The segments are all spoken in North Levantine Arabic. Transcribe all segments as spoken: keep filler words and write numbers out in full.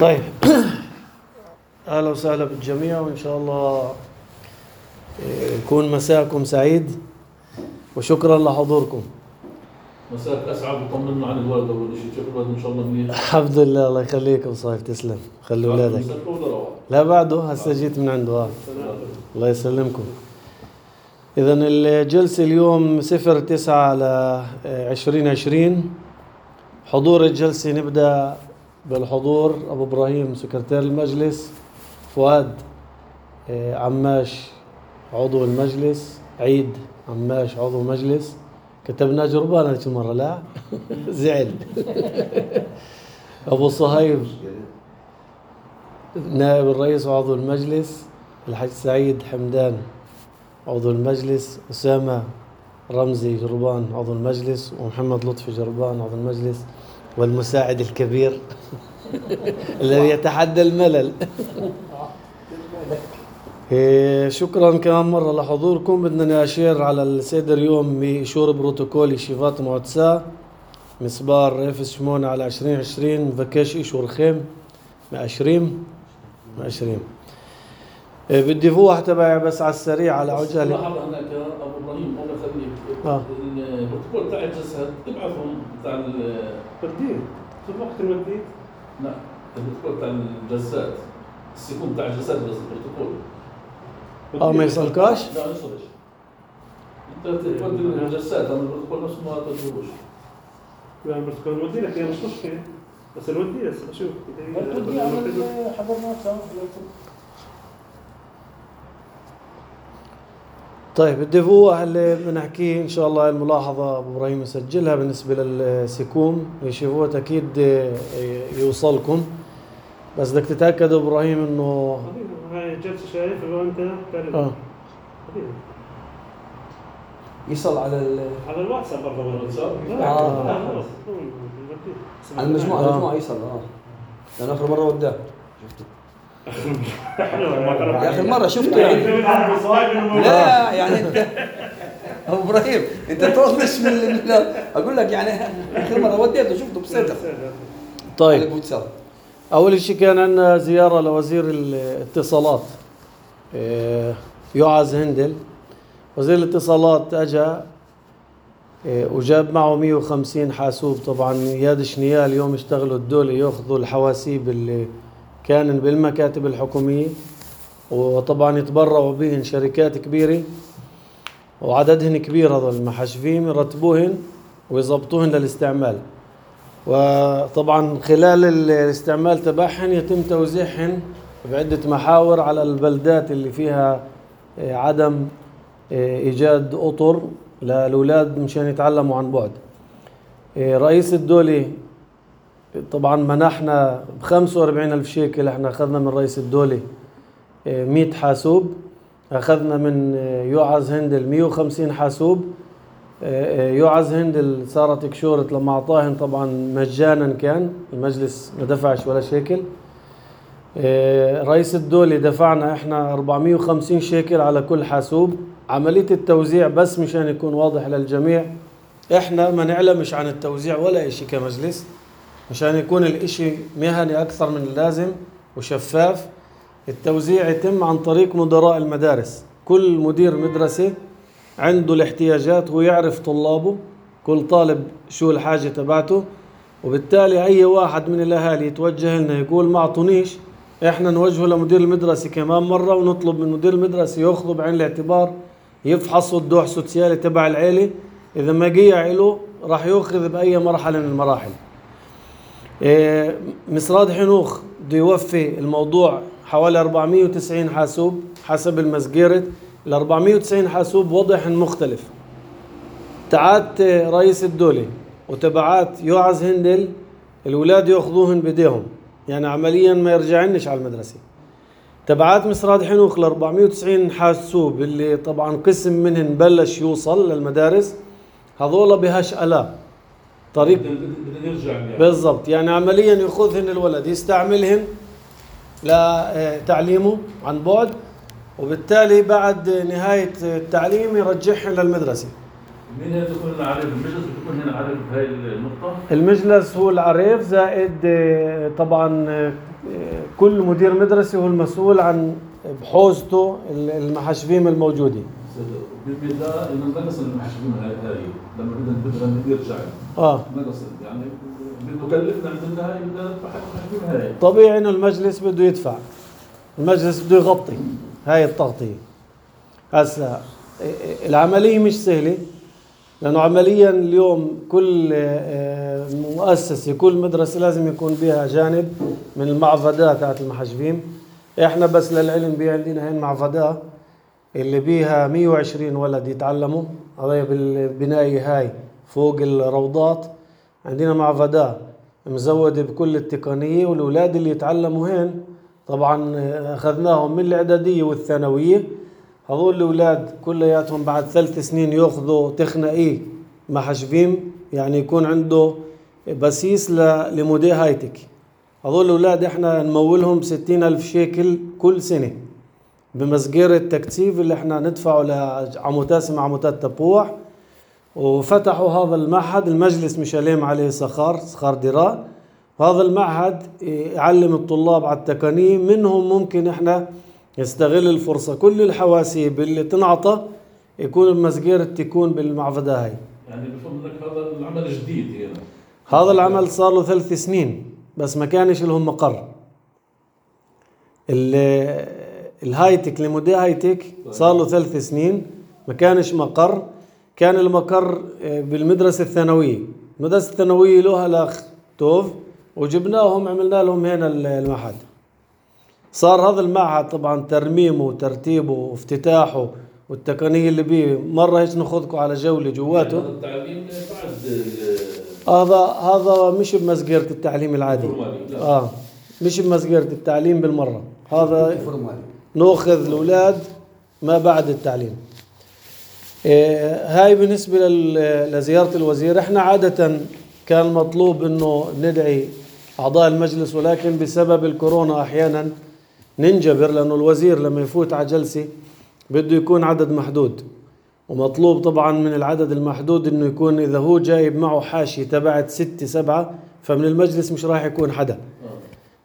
طيب أهلا وسهلا بالجميع، وإن شاء الله يكون مساءكم سعيد، وشكرا لحضوركم. مساءك أسعد، وطمنا عن الوالد أول شيء. شوف الوالد إن شاء الله منيح. الحمد لله، الله يخليك وصايف، تسلم. خلي أولادك. لا بعده، هسه جيت من عنده. آه. الله يسلمكم. إذا الجلسة اليوم صفر تسعة على عشرين عشرين. حضور الجلسة نبدأ بالحضور: أبو إبراهيم سكرتير المجلس، فؤاد عماش عضو المجلس، عيد عماش عضو المجلس. كتبنا جربان هذه المرة، لا زعل. أبو صهيب نائب الرئيس وعضو المجلس، الحاج سعيد حمدان عضو المجلس، أسامة رمزي جربان عضو المجلس، ومحمد لطفي جربان عضو المجلس، والمساعد الكبير الذي يتحدى الملل. شكرا كمان مرة لحضوركم. بدنا أشير على السيدر يوم بإشور بروتوكول شيفات معتسا مسبار إف ثمانية على عشرين عشرين فكاش إشور خيم مأشريم مأشريم. بدي فوح تبعي بس على السريع على عجالة. لاحظ هناك أبو إبراهيم الله يخليك. آه. البروتوكول تاع الجسد ابعثهم تاع التقدير. شوف وقت المديد. لا، البروتوكول تاع الجسد، السيكون تاع الجسد بس البروتوكول. اه ما يصلكاش؟ لا ما يصلش. انت تقدر الجسات، اما البروتوكول نفسه ما تقدروش. لا البروتوكول نودي لك، هي مش مشكلة، بس نودي بس اشوف. تودي على حضرناها سوا. طيب الدفوع اللي بنحكيه ان شاء الله، الملاحظة ابو ابراهيم يسجلها بالنسبة للسيكوم يشوفوها اكيد يوصلكم، بس بدك تتأكد ابو ابراهيم انه هاي جلسة شايف لو انت تعرف. اه يصل على ال على الواتساب برضه الواتساب. آه. على المجموعة آه. المجموعة يصل. اه لأن آخر مرة وداه شفته. يا آخر مرة شفته يعني. لا يعني انت أبو إبراهيم انت تطنش من ال... أقول لك يعني آخر مرة وديته شفته بصدق. طيب أول شيء كان عندنا زيارة لوزير الاتصالات يعز هندل. وزير الاتصالات أجا وجاب معه مية وخمسين حاسوب. طبعا ياد شنيال اليوم اشتغلوا الدولة يأخذوا الحواسيب اللي كان بالمكاتب الحكومية، وطبعا يتبرعوا بهن شركات كبيرة وعددهن كبير، هذول المحاسبين يرتبوهن ويضبطوهن للاستعمال. وطبعا خلال الاستعمال تبعهن يتم توزيعهن بعدة محاور على البلدات اللي فيها عدم إيجاد أطر للأولاد مشان يتعلموا عن بعد. رئيس الدولة طبعا منحنا بخمسة وأربعين ألف شيكل. احنا أخذنا من رئيس الدولة مئة حاسوب، أخذنا من يعز هندل مئة وخمسين حاسوب. يعز هندل صارت كشورت لما أعطاهن طبعا مجانا، كان المجلس ما دفعش ولا شيكل. رئيس الدولة دفعنا احنا أربعمئة وخمسين شيكل على كل حاسوب. عملية التوزيع بس مشان يكون واضح للجميع، احنا ما نعلمش عن التوزيع ولا اشي كمجلس، مشان يكون الاشي مهني اكثر من اللازم وشفاف. التوزيع يتم عن طريق مدراء المدارس. كل مدير مدرسة عنده الاحتياجات ويعرف طلابه، كل طالب شو الحاجة تبعته، وبالتالي اي واحد من الاهالي يتوجه لنا يقول ما اعطونيش، احنا نوجهه لمدير المدرسة كمان مرة ونطلب من مدير المدرسة ياخذه بعين الاعتبار، يفحصوا الدوح سوسيالي تبع العيلة. اذا ما جيع له راح ياخذ باي مرحلة من المراحل. إيه مسراد حنوخ بده يوفي الموضوع حوالي أربعمئة وتسعين حاسوب حسب المسجيرة. ال أربعمئة وتسعين حاسوب وضعهن مختلف. تاعت رئيس الدولة وتبعات يعز هندل الأولاد ياخذوهن بيديهم، يعني عمليا ما يرجعنش على المدرسة. تبعات مسراد حنوخ ل أربعمئة وتسعين حاسوب اللي طبعا قسم منهن بلش يوصل للمدارس، هذولا بهاش ألا طريق بالضبط، يعني عمليا ياخذهن الولد يستعملهن لتعليمه عن بعد، وبالتالي بعد نهاية التعليم يرجعهن للمدرسة. مين هي تكون عارف المجلس بتكون هنا عارف بهاي النقطة؟ المجلس هو العريف، زائد آه، طبعا آه، كل مدير مدرسة هو المسؤول عن بحوزته المحاشفيم الموجودين. بالبداية إنه نقص المحاشفين هاي هاي لما بدنا بدنا يرجع اه نقص يعني بده كلفنا عندنا هاي بدنا ندفع حق المحاشفين هاي. طبيعي انه المجلس بده يدفع، المجلس بده يغطي هاي التغطية. هسا العملية مش سهلة، لأنه عمليا اليوم كل مؤسسة كل مدرسة لازم يكون بها جانب من المعفدات تاعت المحجبين. احنا بس للعلم بي عندنا هين معفدة اللي بيها مية وعشرين ولد يتعلموا، هذا بالبناية هاي فوق الروضات. عندنا معفدة مزودة بكل التقنية، والأولاد اللي يتعلموا هين طبعا أخذناهم من الإعدادية والثانوية. هذول الأولاد كلياتهم بعد ثلاث سنين يأخذوا تخنقي محجبين، يعني يكون عنده بسيس لمودي هايتك. هذول الأولاد احنا نمولهم ستين ألف شيكل كل سنة بمسجير التكتيف اللي احنا ندفعه لعموتات اسمها عموتات تبوح. وفتحوا هذا المعهد، المجلس مشاليم عليه سخار سخار دراء. هذا المعهد يعلم الطلاب على التقنية، منهم ممكن احنا يستغل الفرصة كل الحواسيب اللي تنعطى يكون المسجير تكون بالمعفدة هاي. يعني بفهم لك هذا العمل جديد هنا. هذا العمل صار له ثلاث سنين بس ما كانش لهم مقر. الهايتك لمودي هايتك صار له ثلاث سنين ما كانش مقر. كان المقر بالمدرسة الثانوية، المدرسة الثانوية لها الأخ توف، وجبناهم عملنا لهم هنا المعهد. صار هذا المعهد طبعا ترميمه وترتيبه وافتتاحه والتقنية اللي بيه مرة هيك ناخذكم على جولة جواته. يعني التعليم بعد هذا هذا مش بمسجرة التعليم العادي. اه مش بمسجرة التعليم بالمرة، هذا ناخذ الأولاد ما بعد التعليم. هاي بالنسبة لزيارة الوزير. احنا عادة كان مطلوب انه ندعي اعضاء المجلس، ولكن بسبب الكورونا احيانا ننجبر، لانه الوزير لما يفوت على جلسة بده يكون عدد محدود، ومطلوب طبعا من العدد المحدود انه يكون اذا هو جايب معه حاشية تبعت ستة سبعة فمن المجلس مش راح يكون حدا.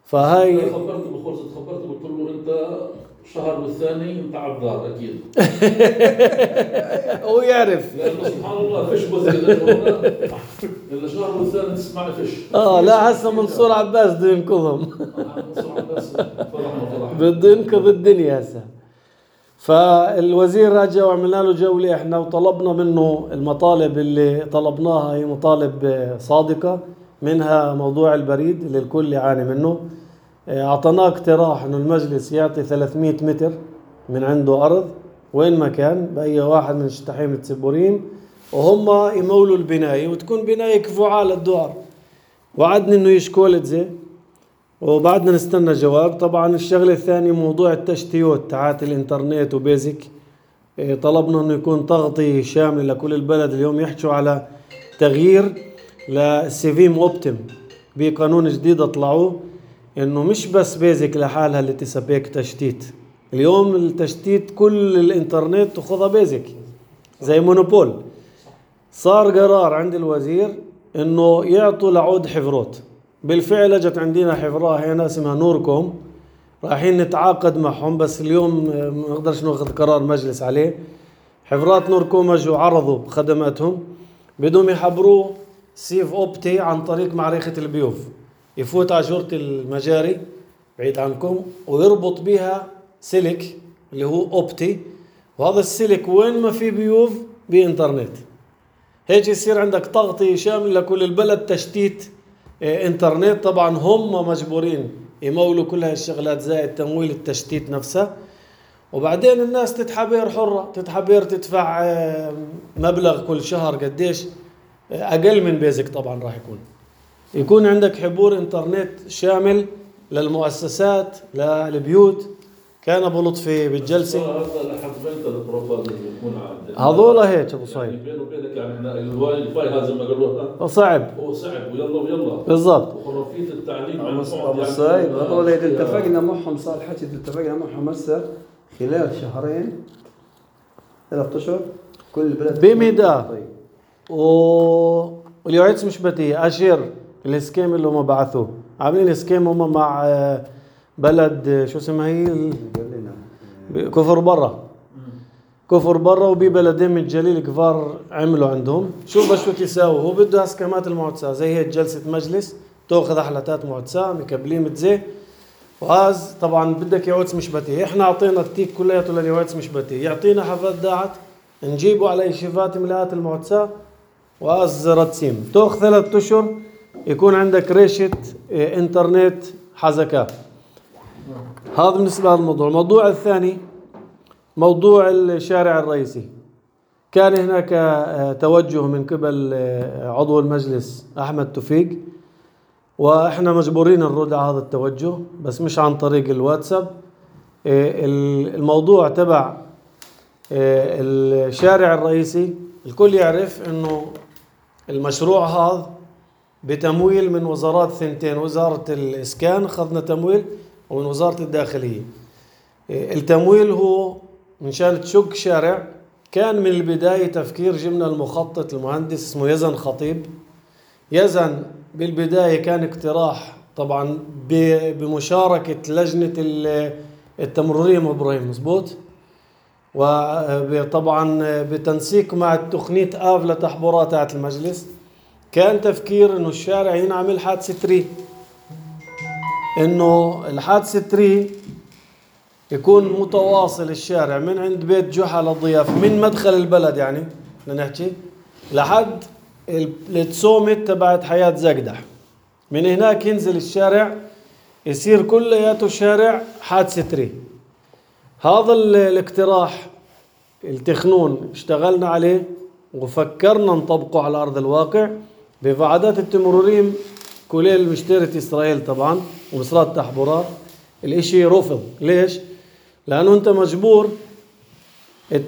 فهاي خبرته بخلصت خبرته قلت له انت شهر والثاني انت عبدار اكيد. هو يعرف لانه سبحان الله فيش وزير الا شهر والثاني تسمع فيش. اه لا هسه منصور عباس بده ينقذهم. منصور عباس فرح بده ينقذ الدنيا هسه. فالوزير رجع وعملنا له جولة احنا، وطلبنا منه المطالب اللي طلبناها، هي مطالب صادقة، منها موضوع البريد اللي الكل يعاني منه. اعطيناه اقتراح انه المجلس يعطي ثلاثمية متر من عنده ارض وين ما كان باي واحد من الشطحين التسبورين، وهم يمولوا البناية وتكون بناية كفوعة للدوار. وعدني انه يشكولت زي، وبعدنا نستنى جواب. طبعا الشغله الثانيه موضوع التشتيات تاعت الانترنت وبيزك، طلبنا انه يكون تغطيه شامله لكل البلد. اليوم يحكوا على تغيير للسيفيم اوبتيم بقانون جديد اطلعوه، انه مش بس بيزك لحالها اللي تسبيك تشتيت. اليوم التشتيت كل الانترنت تاخذها بيزك زي مونوبول. صار قرار عند الوزير انه يعطوا لعود حفروت. بالفعل اجت عندنا حفرة هنا اسمها نوركوم، رايحين نتعاقد معهم، بس اليوم ما نقدرش ناخذ قرار مجلس عليه. حفرات نوركوم اجوا عرضوا خدماتهم، بدهم يحبروه سيف اوبتي عن طريق معركة البيوف، يفوت على جورة المجاري بعيد عنكم ويربط بها سلك اللي هو اوبتي، وهذا السلك وين ما في بيوف بانترنت. هيك يصير عندك تغطية شاملة لكل البلد، تشتيت انترنت. طبعا هم مجبورين يمولوا كل هاي الشغلات زائد تمويل التشتيت نفسها. وبعدين الناس تتحبير حرة، تتحبير تدفع مبلغ كل شهر قديش اقل من بيزك. طبعا راح يكون يكون عندك حبور انترنت شامل للمؤسسات للبيوت. كان ابو لطفي بالجلسه هذا لحد بنت البروفايل اللي يكون عند هذول هيك ابو صايب يعني بينه وبينك يعني احنا الواي فاي هذا ما قالوها صعب، هو صعب ويلا ويلا بالضبط. وخرافيه التعليم عن ابو صايب هذول اذا اتفقنا معهم، صار حكي اذا اتفقنا معهم هسه خلال شهرين ثلاث اشهر كل البلد بمدى واليوعيتس مش بتيه أشير الاسكيم اللي هم بعثوه، عاملين اسكيم هم مع بلد شو اسمها هي كفر برا كفر برا وبي بلدين من الجليل كفار عملوا عندهم. شوف بس شو تساوي، هو بده اسكامات المعتسى زي هيك جلسة مجلس تأخذ أحلاتات معتسى مكبلين متزي، وهذا طبعا بدك يوعيتس مش بتيه. احنا اعطينا التيك كلياته لليوعيتس مش بتيه، يعطينا حفات داعت نجيبه على يشيفات ملاءات المعتسى وأز رتسيم. تأخذ ثلاثة أشهر يكون عندك ريشة انترنت حزكة. هذا بالنسبة للموضوع. الموضوع الثاني موضوع الشارع الرئيسي. كان هناك توجه من قبل عضو المجلس أحمد توفيق، وإحنا مجبورين نرد على هذا التوجه بس مش عن طريق الواتساب. الموضوع تبع الشارع الرئيسي الكل يعرف إنه المشروع هذا بتمويل من وزارات ثنتين، وزارة الإسكان أخذنا تمويل ومن وزارة الداخلية. التمويل هو من شان تشق شارع. كان من البداية تفكير جبنا المخطط المهندس اسمه يزن خطيب. يزن بالبداية كان اقتراح طبعا بمشاركة لجنة التمريرية إبراهيم مزبوط، وطبعا بتنسيق مع التقنية آف لتحبورات تاعت المجلس. كان تفكير انه الشارع ينعمل حادثة تري، انه الحادثة تري يكون متواصل الشارع من عند بيت جحا للضياف من مدخل البلد يعني بدنا نحكي لحد التسومت تبعت حياة زقدح. من هناك ينزل الشارع يصير كلياته شارع حادثة تري. هذا الاقتراح التخنون اشتغلنا عليه وفكرنا نطبقه على أرض الواقع بوعدات التمروريم كليل مشترة إسرائيل طبعا ومصرات تحبورات. الاشي رفض. ليش؟ لأنه أنت مجبور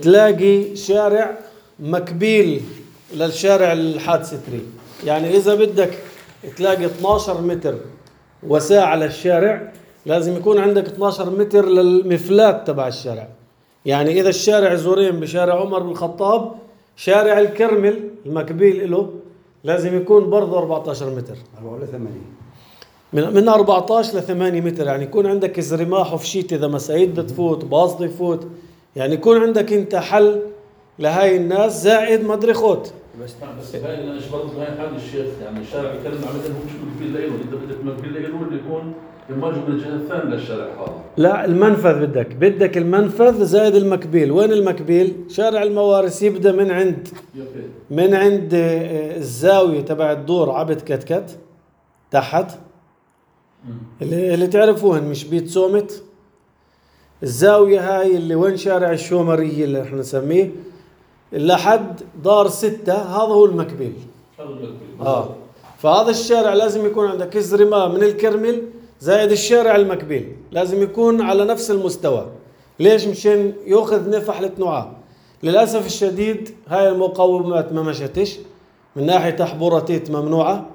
تلاقي شارع مكبيل للشارع الحادثة تري. يعني إذا بدك تلاقي اثناشر متر وساعة للشارع لازم يكون عندك اثناشر متر للمفلات تبع الشارع. يعني إذا الشارع زورين بشارع عمر بن الخطاب شارع الكرمل المكبيل له لازم يكون برضه أربعة عشر متر أربعة ولا ثمانية من من أربعة عشر ل ثمانية متر. يعني يكون عندك زرماح وفشيت إذا مساعيد بدها تفوت باص بده يفوت. يعني يكون عندك أنت حل لهاي الناس زائد مدري خوت. بس بس هاي انا برضه هاي حل الشيخ. يعني الشارع الكرم عمدا هو مش مكبيل له، انت بدك مكبيل له اللي يكون يماجه من الجهه الثانيه للشارع هذا. لا المنفذ بدك بدك المنفذ زائد المكبيل. وين المكبيل؟ شارع الموارث يبدا من عند من عند الزاويه تبع الدور عبد كتكت تحت اللي اللي تعرفوهن مش بيت سومت. الزاويه هاي اللي وين شارع الشومريه اللي احنا نسميه لحد دار ستة هذا هو المكبيل. هذا المكبيل اه فهذا الشارع لازم يكون عندك زرماء من الكرمل زائد الشارع المكبيل لازم يكون على نفس المستوى. ليش؟ مشان يأخذ نفح للتنوعات. للأسف الشديد هاي المقومات ما مشتش. من ناحية تحبوراتيت ممنوعة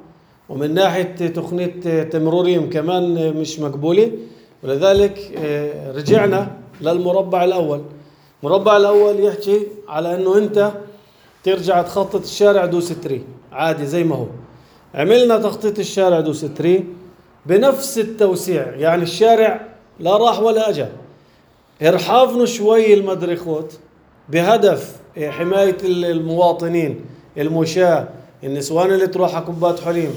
ومن ناحية تقنية تمروريم كمان مش مقبولة، ولذلك رجعنا للمربع الأول. المربع الأول يحكي على أنه أنت ترجع تخطط الشارع دوس تري عادي زي ما هو. عملنا تخطيط الشارع دوس تري بنفس التوسيع. يعني الشارع لا راح ولا أجا، ارحافنا شوي المدرخوت بهدف حماية المواطنين المشاة النسوان اللي تروح على كوبات حليم.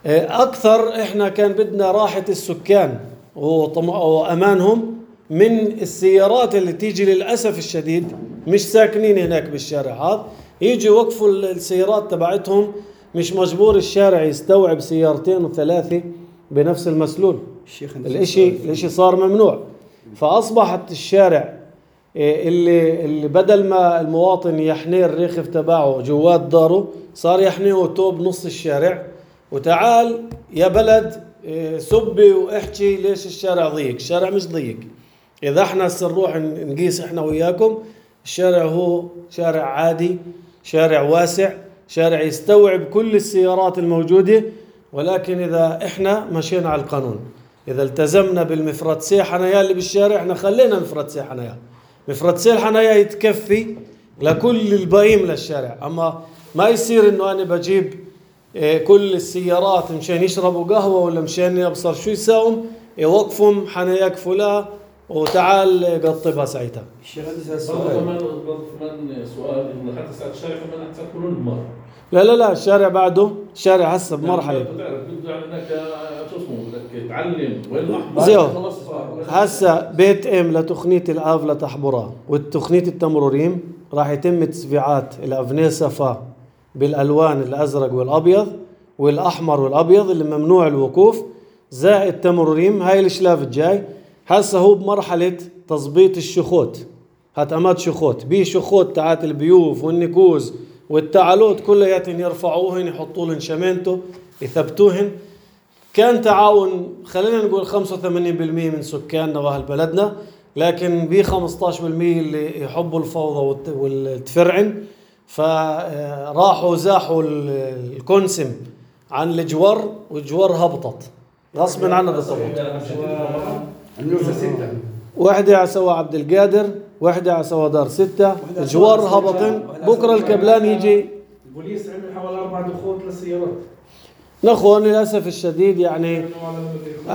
أكثر إحنا كان بدنا راحة السكان وأمانهم من السيارات اللي تيجي للأسف الشديد مش ساكنين هناك بالشارع هذا يجي وقفوا السيارات تبعتهم. مش مجبور الشارع يستوعب سيارتين وثلاثة بنفس المسلول. الاشي الاشي صار ممنوع. فأصبحت الشارع اللي, اللي بدل ما المواطن يحني الريخف تبعه جوات داره صار يحنيه توب نص الشارع. وتعال يا بلد سبي واحكي ليش الشارع ضيق. الشارع مش ضيق. إذا احنا سنروح نقيس احنا وياكم الشارع هو شارع عادي، شارع واسع، شارع يستوعب كل السيارات الموجودة. ولكن إذا إحنا مشينا على القانون، إذا التزمنا بالمفردسي حنايا اللي بالشارع، إحنا خلينا مفردسي حنايا. مفردسي الحنايا يتكفي لكل الباقيين للشارع. أما ما يصير انه انا بجيب كل السيارات مشان يشربوا قهوة ولا مشان يبصر شو يساوم، يوقفهم حناياك فلا وتعال قطبها ساعتها. الشيخ عندي برضه سؤال. كمان برضه كمان سؤال انه حتى ساعة الشارع كمان حتى يكونون بمر. لا لا لا الشارع بعده، الشارع هسه بمرحلة. بتعرف بده يعني انك شو اسمه بدك تعلم وين الاحمر. زيو هسه بيت ام لتقنية الآف لتحبرة والتقنية التمروريم راح يتم تسبيعات الأفنية صفا بالألوان الأزرق والأبيض والأحمر والأبيض اللي ممنوع الوقوف، زائد تمروريم. هاي الشلاف الجاي هسه هو بمرحلة تظبيط الشخوت، هتأمات شخوت بيه شخوت تاعت البيوف والنكوز والتعالوت كلياتهم يرفعوهن يحطولن شمانته يثبتوهن. كان تعاون خلينا نقول خمسة وثمانين بالمئة من سكاننا واهل بلدنا، لكن ب خمسة عشر بالمئة اللي يحبوا الفوضى والتفرعن فراحوا زاحوا الكونسم عن الجوار والجوار هبطت غصبا عنا بالضبط. النوزة ستة. وحدة على سوا عبد القادر، وحدة على سوا دار ستة، الجوار هبطن. بكرة الكبلان يجي. البوليس عمل حوالي أربع دخول للسيارات. نخون للأسف الشديد يعني.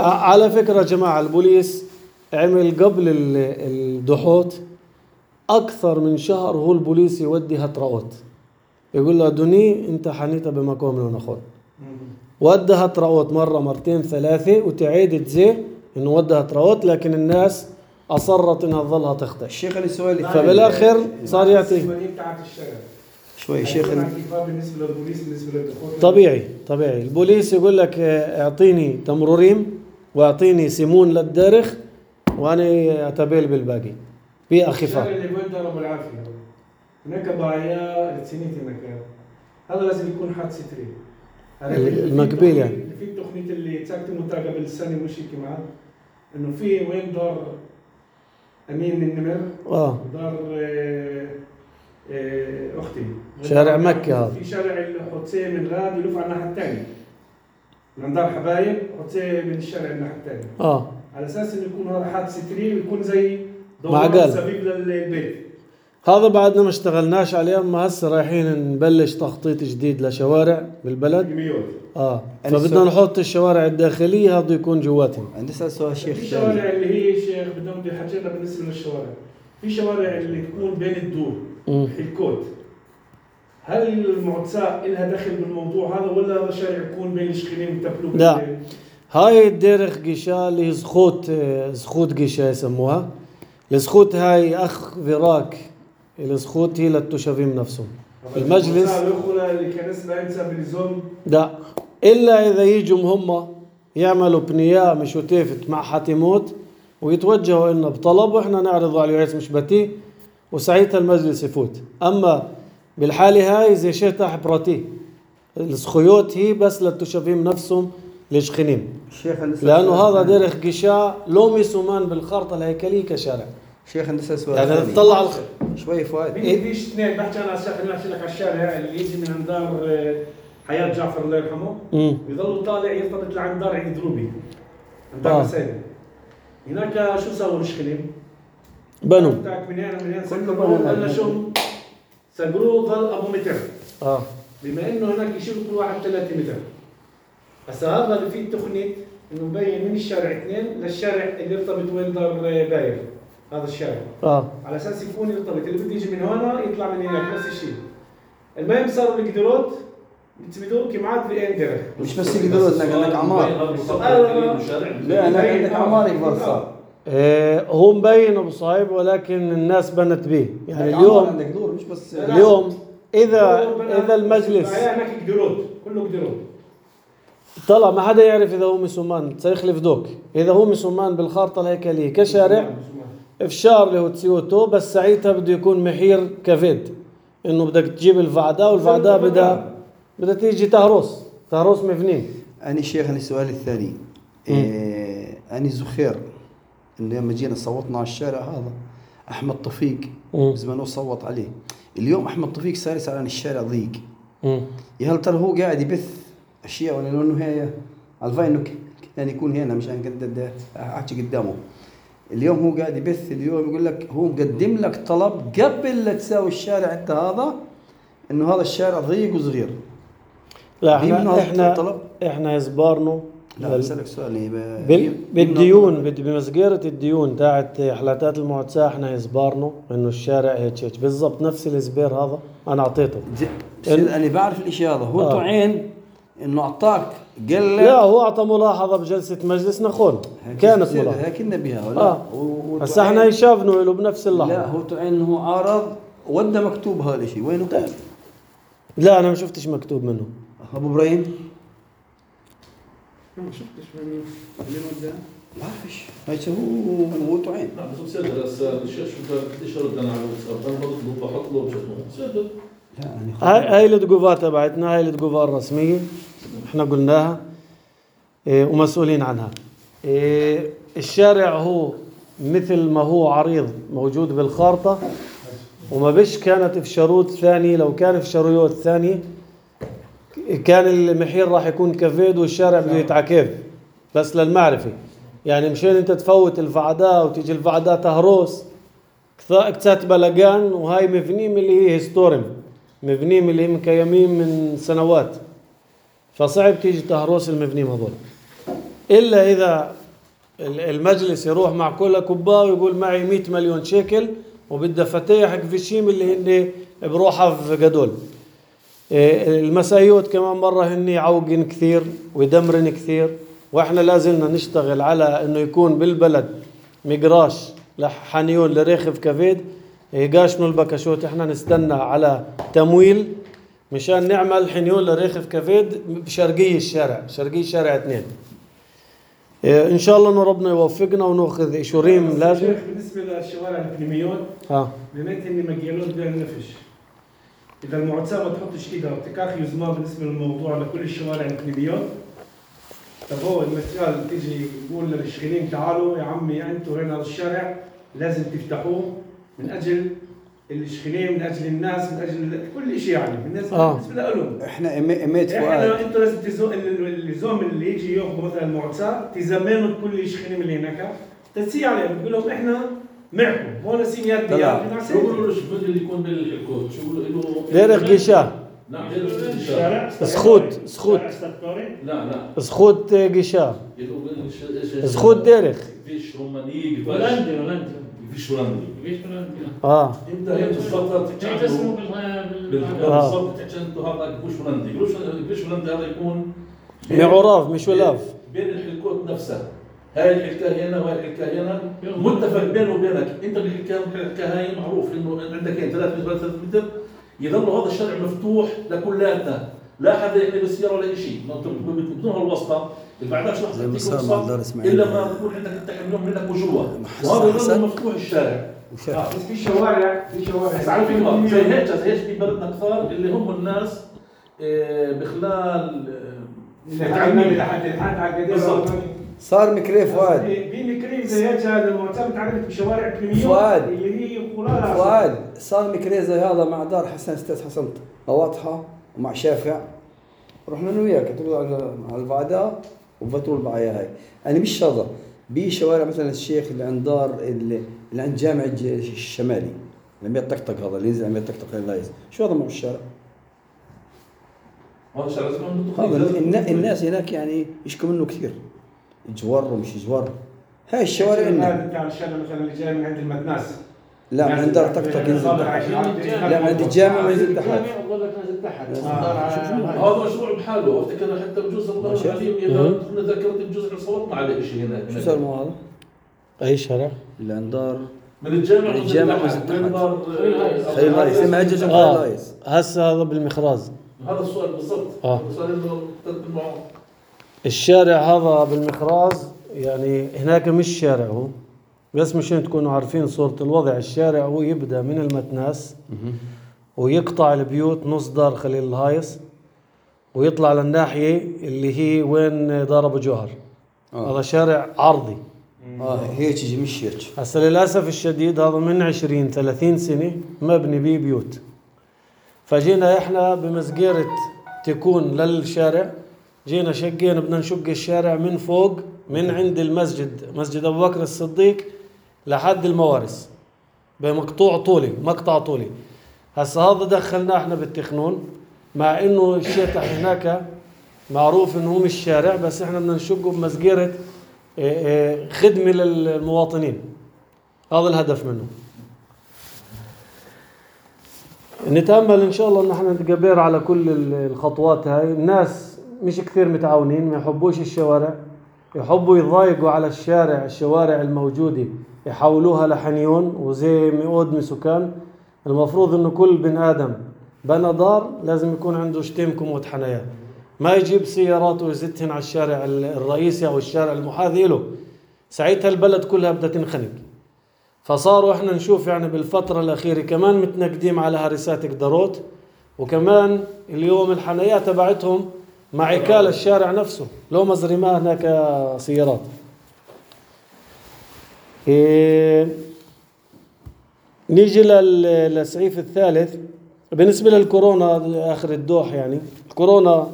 على فكرة جماعة البوليس عمل قبل الدحوت أكثر من شهر هو البوليس يودي هترقوت، يقول له دوني أنت حنيتها بمكان لو نخون. ودى هترقوت مرة مرتين ثلاثة وتعيد تزي إنه ودى هترقوت، لكن الناس أصرت إنها تظلها تخطئ. الشيخ لي سؤال فبالآخر صار يعطي بتاعت الشارع. شوي شيخ. بالنسبة للبوليس بالنسبة للدخول. طبيعي طبيعي البوليس يقول لك اعطيني تمروريم واعطيني سيمون للدرخ وانا اتبيل بالباقي في اخفاء. الشارع اللي بين دار ابو العافيه هناك باعية لتسنيت هناك، هذا لازم يكون حاد ستري. المقبيل يعني. في التقنية اللي تساكتموا قبل السنة مش هيك معاه انه في وين دار امين النمر اه ودار اه اه اختي شارع مكة هذا. في شارع الحوتسيه من غاد يلف على الناحية الثانية من دار حبايب حوتسيه من الشارع الناحية الثانية. اه على اساس انه يكون هذا حاد ستري ويكون زي معقل سبيب للبيت. هذا بعدنا ما اشتغلناش عليه، اما هسه رايحين نبلش تخطيط جديد لشوارع بالبلد. اه فبدنا نحط الشوارع الداخليه هذا يكون جواتهم. عندي سؤال شيخ. في شوارع اللي هي شيخ بدهم بحاجتنا بالنسبه للشوارع، في شوارع اللي تكون بين الدور الكوت، هل المعتساء لها دخل بالموضوع هذا ولا هذا شارع يكون بين الشخيرين يتبلوا؟ لا هاي الديرخ قشا اللي زخوت زخوت قشا يسموها. الزخوت هاي اخ فراك الزخوت هي للتشافين نفسهم. المجلس لا الا اذا يجوا هم يعملوا بنية مش وتافت مع حاتموت ويتوجهوا لنا بطلب واحنا نعرضه على الرئيس مش بتي وساعتها المجلس يفوت. اما بالحالة هاي زي شيء براتي السخيوت هي بس للتشافين نفسهم لشخنين، لانه هذا ديرخ قشا لومي سمان بالخرطة الهيكلية كشارع. شيخ عندي سؤال يعني تطلع الخ... شوي فؤاد. فيش اثنين بحكي انا خليني احكي لك على الشارع اللي يجي من دار حياة جعفر الله يرحمه ويظل طالع يرتبط لعند دار عيد دروبي عند دار مساجد. هناك شو سووا الشخلين؟ بنوا بتاعك من هنا من هنا سكروه قلنا شو سكروه ظل ابو متر. اه بما انه هناك يشيلوا كل واحد ثلاثة متر. هسا هذا اللي فيه تقنية انه مبين من الشارع اثنين للشارع اللي يرتبط وين دار باير هذا الشارع. اه على اساس يكون يرتبط اللي بده يجي من هنا يطلع من هناك نفس الشيء. المهم صاروا القدرات بتسميدوه كمعاد بين درخ. مش بس القدرات عندك عمار. لا انا عندك عمار يكبر صار. إيه هو مبين ابو صايب ولكن الناس بنت به يعني اليوم عندك دور مش بس اليوم اذا اذا المجلس هناك قدرات كله قدرات طلع ما حدا يعرف اذا هو مسومان سيخلف دوك. اذا هو مسومان بالخارطه الهيكليه كشارع افشار له تسيوتو بس ساعتها بده يكون محير كفيد انه بدك تجيب الفعداء والفعداء بدها بدها تيجي تهرس تهرس مفنين. أنا شيخ أنا السؤال الثاني إيه أنا زخير إنه لما جينا صوتنا على الشارع هذا أحمد طفيق زمان صوت عليه. اليوم أحمد طفيق صار يسأل عن الشارع ضيق. يا هل ترى هو قاعد يبث أشياء ولا إنه هي الفا إنه كان يكون هنا مش أنا كنت أحكي قدامه. اليوم هو قاعد يبث اليوم يقول لك هو مقدم لك طلب قبل لا تساوي الشارع أنت هذا انه هذا الشارع ضيق وصغير. لا في منه احنا احنا طلب؟ احنا يزبارنو لا بسألك سؤال يعني ب- بال- في- بالديون بد- بمسجرة الديون تاعت حلاتات المعتساة احنا يزبارنو انه الشارع هيك هيك بالضبط نفس الزبير هذا انا اعطيته. زي- بس انا بعرف الاشي هذا هو آه. طعين انه اعطاك قال لا هو اعطى ملاحظة بجلسة مجلس نخون كانت ملاحظة. هيك بها ولا اه و- هسا وطعين- احنا يشافنوا له بنفس اللحظة. لا هو طعين انه عارض وده مكتوب هذا الشيء وينه؟ لا انا ما شفتش مكتوب منه. ابو ابراهيم ما شفتش من اللي قدام. ما بعرفش هيك هو هو طعين. نعم بس بسدد هسه الشيء شو بديش ارد انا على الواتساب انا بطلب بحط له بشكل بسدد. لا يعني هاي هاي التقوفة تبعتنا، هاي التقوفة الرسمية احنا قلناها إيه ومسؤولين عنها. إيه الشارع هو مثل ما هو عريض موجود بالخارطة وما بش كانت في شروط ثاني. لو كان في شروط ثانية كان المحير راح يكون كفيد والشارع بده يتعكف. بس للمعرفة يعني مشان انت تفوت الفعداء وتيجي الفعداء تهروس كثات بلقان وهاي مبنية من اللي هي هيستورم مبنية من اللي هي مكيمين من سنوات فصعب تيجي تهروس المبنيين هذول إلا إذا المجلس يروح مع كل كوبا ويقول معي مئة مليون شيكل وبده فتيح كفيشيم اللي هن بروحها في قدول. المسايوت كمان مرة هن يعوقن كثير ويدمرن كثير واحنا لازلنا نشتغل على انه يكون بالبلد مقراش لحنيون لريخف كفيد يقاشنوا البكشوت. احنا نستنى على تمويل مشان نعمل حنيون لريخف كفيد بشرقية الشارع شرقية شارع اثنين. ان شاء الله انه ربنا يوفقنا وناخذ اشوريم لازم. بالنسبه للشوارع البنيميون اه بنيت اني مجيالون بين النفش. اذا المعتسى ما تحطش ايدها وبتكاخ يزمان بالنسبه للموضوع لكل الشوارع البنيميون. طب هو المثال تيجي يقول للشغلين تعالوا يا عمي انتوا هنا الشارع لازم تفتحوه من اجل الشغلين من اجل الناس من اجل كل شيء يعني بالنسبه آه. بالنسبه لهم. احنا اميت فؤاد احنا انتوا لازم تزو اللزوم اللي يجي ياخذ مثلا المعتسى تزمنوا كل الشغلين اللي هناك تسي عليهم بقول لهم احنا معكم هون سينيات طلع. شو بقولوا له شو اللي يكون بالحكوت شو بقولوا له ديرخ قشاه نعم ديرخ الشارع سخوت سخوت لا لا سخوت قشاه يقولوا سخوت ديرخ فيش روماني هولندي هولندي فيش هولندي ليش هولندي؟ اه يبدا هي الفتره جاي تسمو بالحكوت آه. بالضبط تحكي انتوا هذا فيش هولندي يقولوا فيش هولندي هذا يكون معراف مش ولاف بين الحلقات نفسها. هاي الحلقة هنا وهاي الحلقة هنا متفق بينه وبينك انت بالحلقة الحلقة هاي معروف انه عندك هين ثلاث متر ثلاث متر يضل هذا الشارع مفتوح لكلاتنا لا حدا يحمل السيارة ولا شيء بدون هالواسطة البعدها شو زي ما صار حتى مع الدار اسماعيل. الا ما بكون عندك انت حملهم منك وجوا حسن- وهذا حسن. يضل مفتوح الشارع. وشاف اه بس في شوارع في شوارع بس على فكرة زي هيك زي هيك في بلدنا كثار اللي هم الناس آه، بخلال آه، تعلمي لحد الحد على القديم بالضبط. صار مكري فؤاد في مكريم زي هيك هذا المعتمد تعرفت بشوارع كريميون فؤاد. اللي هي قرارها فؤاد صار مكري زي هذا مع دار حسن استاذ حسن واضحه ومع شافع رحنا انا وياك تقول على البعداء وفتروا البعايه هاي يعني مش هذا بشوارع مثلا الشيخ اللي عند دار اللي, اللي عند جامع الج- الشمالي لما يطقطق هذا اللي ينزل لما يطقطق اللايز شو هذا مو الشارع هذا الشارع لازم هذا النا- الناس هناك يعني يشكوا منه كثير جوار ومش جوار هاي الشوارع إلنا. هذا بتاع الشارع مثلا اللي جاي من عند المتناس لا من عند دار طقطق ينزل تحت لا من عند الجامع ينزل تحت بقول لك نازل تحت هذا مشروع بحاله افتكر حتى بجوز الله ماشي. العظيم اذا كنا ذكرت بجوز احنا صوتنا عليه شيء هنا شو صار مو هذا؟ اي شارع؟ اللي عند دار من الجامع من الجامع من وزد تحت. دار خير لايس اسمها عجج خير اه لايس هسه هذا بالمخراز. هذا السؤال بالضبط آه. السؤال انه تقدم معه الشارع هذا بالمخراز يعني هناك مش شارع هو بس مشان تكونوا عارفين صورة الوضع. الشارع هو يبدأ من المتناس ويقطع البيوت نص دار خليل الهايص ويطلع للناحية اللي هي وين دار أبو جوهر. آه. هذا شارع عرضي. اه هيك يجي مش هيك هسه للأسف الشديد هذا من عشرين ثلاثين سنة مبني بيه بيوت. فجينا احنا بمسجرة تكون للشارع جينا شقينا بدنا نشق الشارع من فوق من عند المسجد مسجد أبو بكر الصديق لحد الموارث بمقطوع طولي مقطع طولي. هسا هذا دخلناه احنا بالتخنون، مع انه الشيطح هناك معروف انه هو مش شارع، بس احنا بدنا نشقه بمسجرة خدمة للمواطنين. هذا الهدف منه. نتأمل إن شاء الله إن احنا نتقبر على كل الخطوات هاي. الناس مش كثير متعاونين، ما يحبوش الشوارع، يحبوا يضايقوا على الشارع، الشوارع الموجودة يحولوها لحنيون وزي مئود سكان. المفروض إنه كل بن آدم بنى دار لازم يكون عنده شتيم كومود حنايا، ما يجيب سيارات ويزتهن على الشارع الرئيسي أو الشارع المحاذي له، ساعتها البلد كلها بدها تنخنق. فصاروا احنا نشوف يعني بالفترة الأخيرة كمان متنقدين على هرسات قدروت، وكمان اليوم الحنايات تبعتهم مع عكال الشارع نفسه لو مزرماه هناك سيارات. إيه نيجي للسعيف الثالث بالنسبة للكورونا آخر الدوح. يعني الكورونا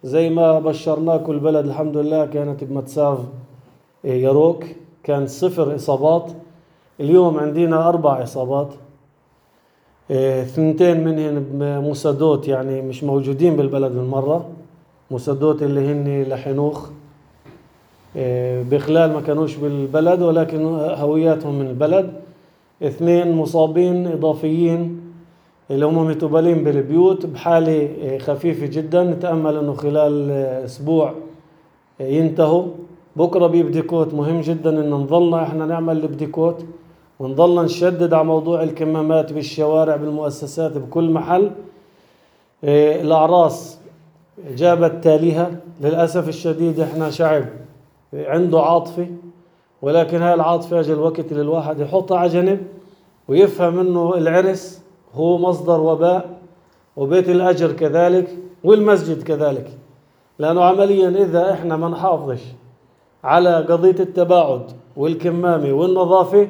زي ما بشرناكم البلد الحمد لله كانت بمتساف يروك، كان صفر إصابات. اليوم عندنا أربع إصابات، اثنتين منهن مسدوت يعني مش موجودين بالبلد من مرة، مسدوت اللي هن لحنوخ بخلال ما كانوش بالبلد ولكن هوياتهم من البلد. اثنين مصابين إضافيين اللي هم متوبلين بالبيوت بحالة خفيفة جدا، نتأمل أنه خلال أسبوع ينتهوا. بكرة بيبديكوت مهم جدا أن نظلنا إحنا نعمل البديكوت ونظلنا نشدد على موضوع الكمامات بالشوارع بالمؤسسات بكل محل. الأعراس جابت تاليها للأسف الشديد. إحنا شعب عنده عاطفة، ولكن هاي العاطفة أجل وقت للواحد يحطها على جنب ويفهم أنه العرس هو مصدر وباء، وبيت الأجر كذلك، والمسجد كذلك. لأنه عمليا إذا إحنا ما نحافظش على قضية التباعد والكمامة والنظافة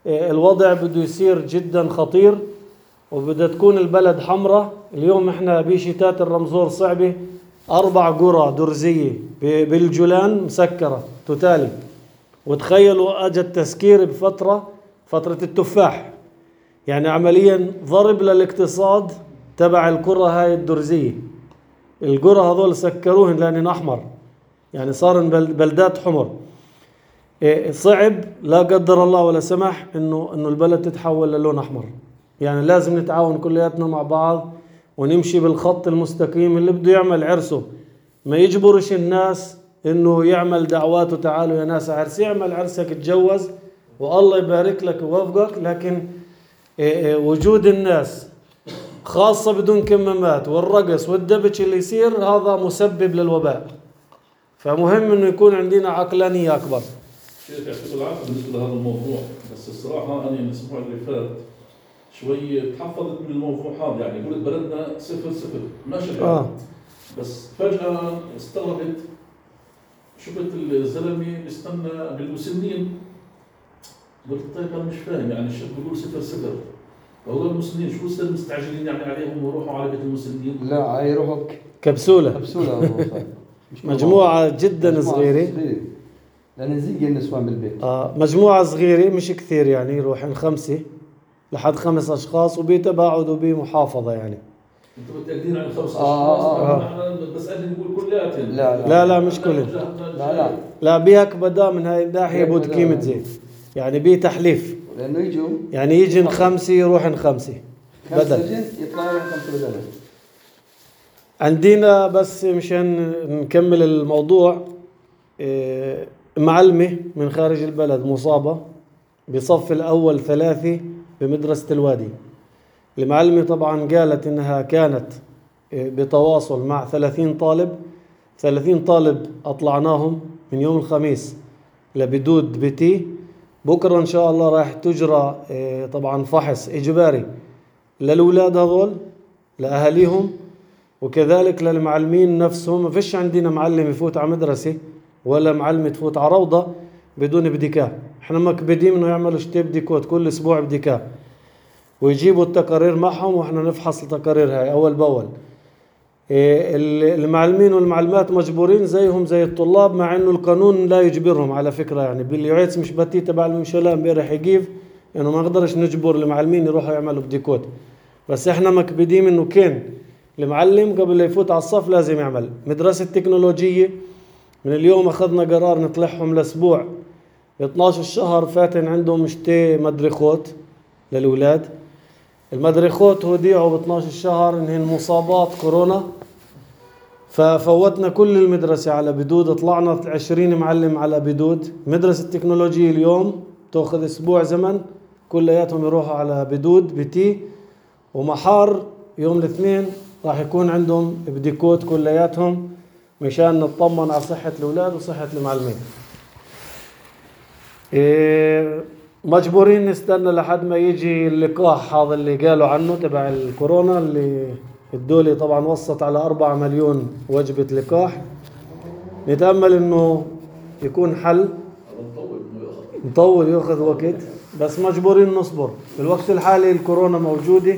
الوضع بده يصير جدا خطير، وبدها تكون البلد حمراء. اليوم إحنا بشتات الرمزور صعبة، أربع قرى درزية بالجولان مسكرة توتالي. وتخيلوا أجى التسكير بفترة فترة التفاح، يعني عمليا ضرب للاقتصاد تبع القرى هاي الدرزية. القرى هذول سكروهن لأنهن أحمر، يعني صار بلدات حمر. صعب لا قدر الله ولا سمح إنه إنه البلد تتحول للون أحمر. يعني لازم نتعاون كلياتنا مع بعض ونمشي بالخط المستقيم. اللي بده يعمل عرسه ما يجبرش الناس إنه يعمل دعواته، تعالوا يا ناس عرس، يعمل عرسك تجوز والله يبارك لك ووفقك. لكن وجود الناس خاصة بدون كمامات والرقص والدبش اللي يصير هذا مسبب للوباء. فمهم إنه يكون عندنا عقلانية أكبر. شيخ يعطيك العافية بالنسبة لهذا الموضوع، بس الصراحة أنا الأسبوع اللي فات شوي تحفظت من الموضوع هذا. يعني قلت بلدنا صفر صفر ماشي آه. بس فجأة استغربت، شفت الزلمة بيستنى بالمسنين، قلت طيب أنا مش فاهم، يعني الشيخ بيقول صفر صفر، هذول المسنين شو صار مستعجلين يعني عليهم ويروحوا على بيت المسنين؟ لا يروحوا كبسولة كبسولة مجموعة جدا صغيرة، لأن نزيق النسوان بالبيت. آه مجموعة صغيرة مش كثير، يعني يروحن خمسة لحد خمس أشخاص وبيتباعدوا بمحافظة. يعني أنتوا متأكدين عن خمس أشخاص؟ آه آه. نحن بسألني نقول كلياتهم. لا لا لا, لا مش كلهم. لا لا لا بيهك بدا من هاي الناحية بود قيمة زي يعني بيه تحليف، لأنه يجوا يعني يجن خمسة يروحن خمسة بدل يطلعوا خمسة بدل. عندنا بس مشان نكمل الموضوع، إيه معلمة من خارج البلد مصابة بصف الأول ثلاثة بمدرسة الوادي. المعلمة طبعا قالت إنها كانت بتواصل مع ثلاثين طالب، ثلاثين طالب أطلعناهم من يوم الخميس لبدود بيتي. بكرة إن شاء الله راح تجرى طبعا فحص إجباري للأولاد هذول لأهاليهم وكذلك للمعلمين نفسهم. ما فيش عندنا معلم يفوت على مدرسة ولا معلم تفوت على روضة بدون بديكاء. احنا مكبدين انه يعملوا شتي بديكوت كل اسبوع بديكاء ويجيبوا التقارير معهم واحنا نفحص التقارير هاي اول باول. المعلمين والمعلمات مجبورين زيهم زي الطلاب، مع انه القانون لا يجبرهم على فكرة. يعني باليوعيتس مش بتي تبع الممشلة امبارح يجيب انه ما نقدرش نجبر المعلمين يروحوا يعملوا بديكوت، بس احنا مكبدين انه كان المعلم قبل لا يفوت على الصف لازم يعمل مدرسة تكنولوجية. من اليوم اخذنا قرار نطلعهم لاسبوع ب اثناشر الشهر فاتن عندهم شتي مدرخوت للأولاد. المدرخوت وديعوا ب اثناشر الشهر انهن مصابات كورونا، ففوتنا كل المدرسة على بدود، طلعنا عشرين معلم على بدود. مدرسة التكنولوجيا اليوم تأخذ اسبوع زمن كلياتهم يروحوا على بدود بتي، ومحار يوم الاثنين راح يكون عندهم بديكوت كلياتهم مشان نطمن على صحة الأولاد وصحة المعلمين. إيه مجبورين نستنى لحد ما يجي اللقاح هذا اللي قالوا عنه تبع الكورونا، اللي الدولة طبعا وصت على أربعة مليون وجبة لقاح. نتأمل انه يكون حل. مطول يأخذ وقت بس مجبورين نصبر. في الوقت الحالي الكورونا موجودة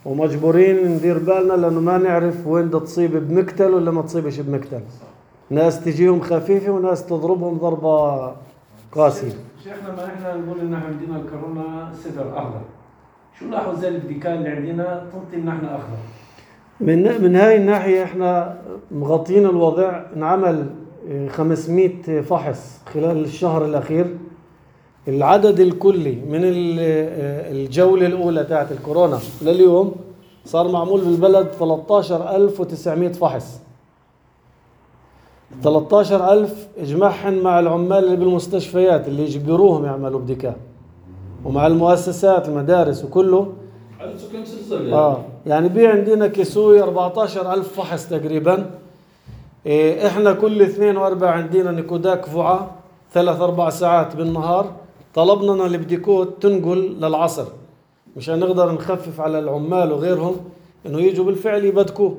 ومجبورين ندير بالنا لأنه ما نعرف وين بدها تصيب بمقتل ولا ما تصيبش بمقتل. ناس تجيهم خفيفة وناس تضربهم ضربة قاسية. شيخنا ما احنا نقول ان احنا عندنا الكورونا صفر اخضر، شو لاحظوا زي البديكال اللي عندنا تنطي ان احنا اخضر؟ من من هاي الناحية احنا مغطين الوضع. انعمل خمسمية فحص خلال الشهر الأخير. العدد الكلي من الجولة الأولى تاعت الكورونا لليوم صار معمول بالبلد ثلاثة عشر ألف وتسعمية فحص. ثلاثة عشر ألف اجمعهن مع العمال اللي بالمستشفيات اللي يجبروهم يعملوا بديكا، ومع المؤسسات المدارس وكله. اه يعني بي عندنا كسوي أربعة عشر ألف فحص تقريبا. إيه احنا كل اثنين واربع عندنا نكوداك فعة ثلاث اربع ساعات بالنهار. طلبنا البديكوت تنقل للعصر مشان نقدر نخفف على العمال وغيرهم انه يجوا بالفعل يبدكوا.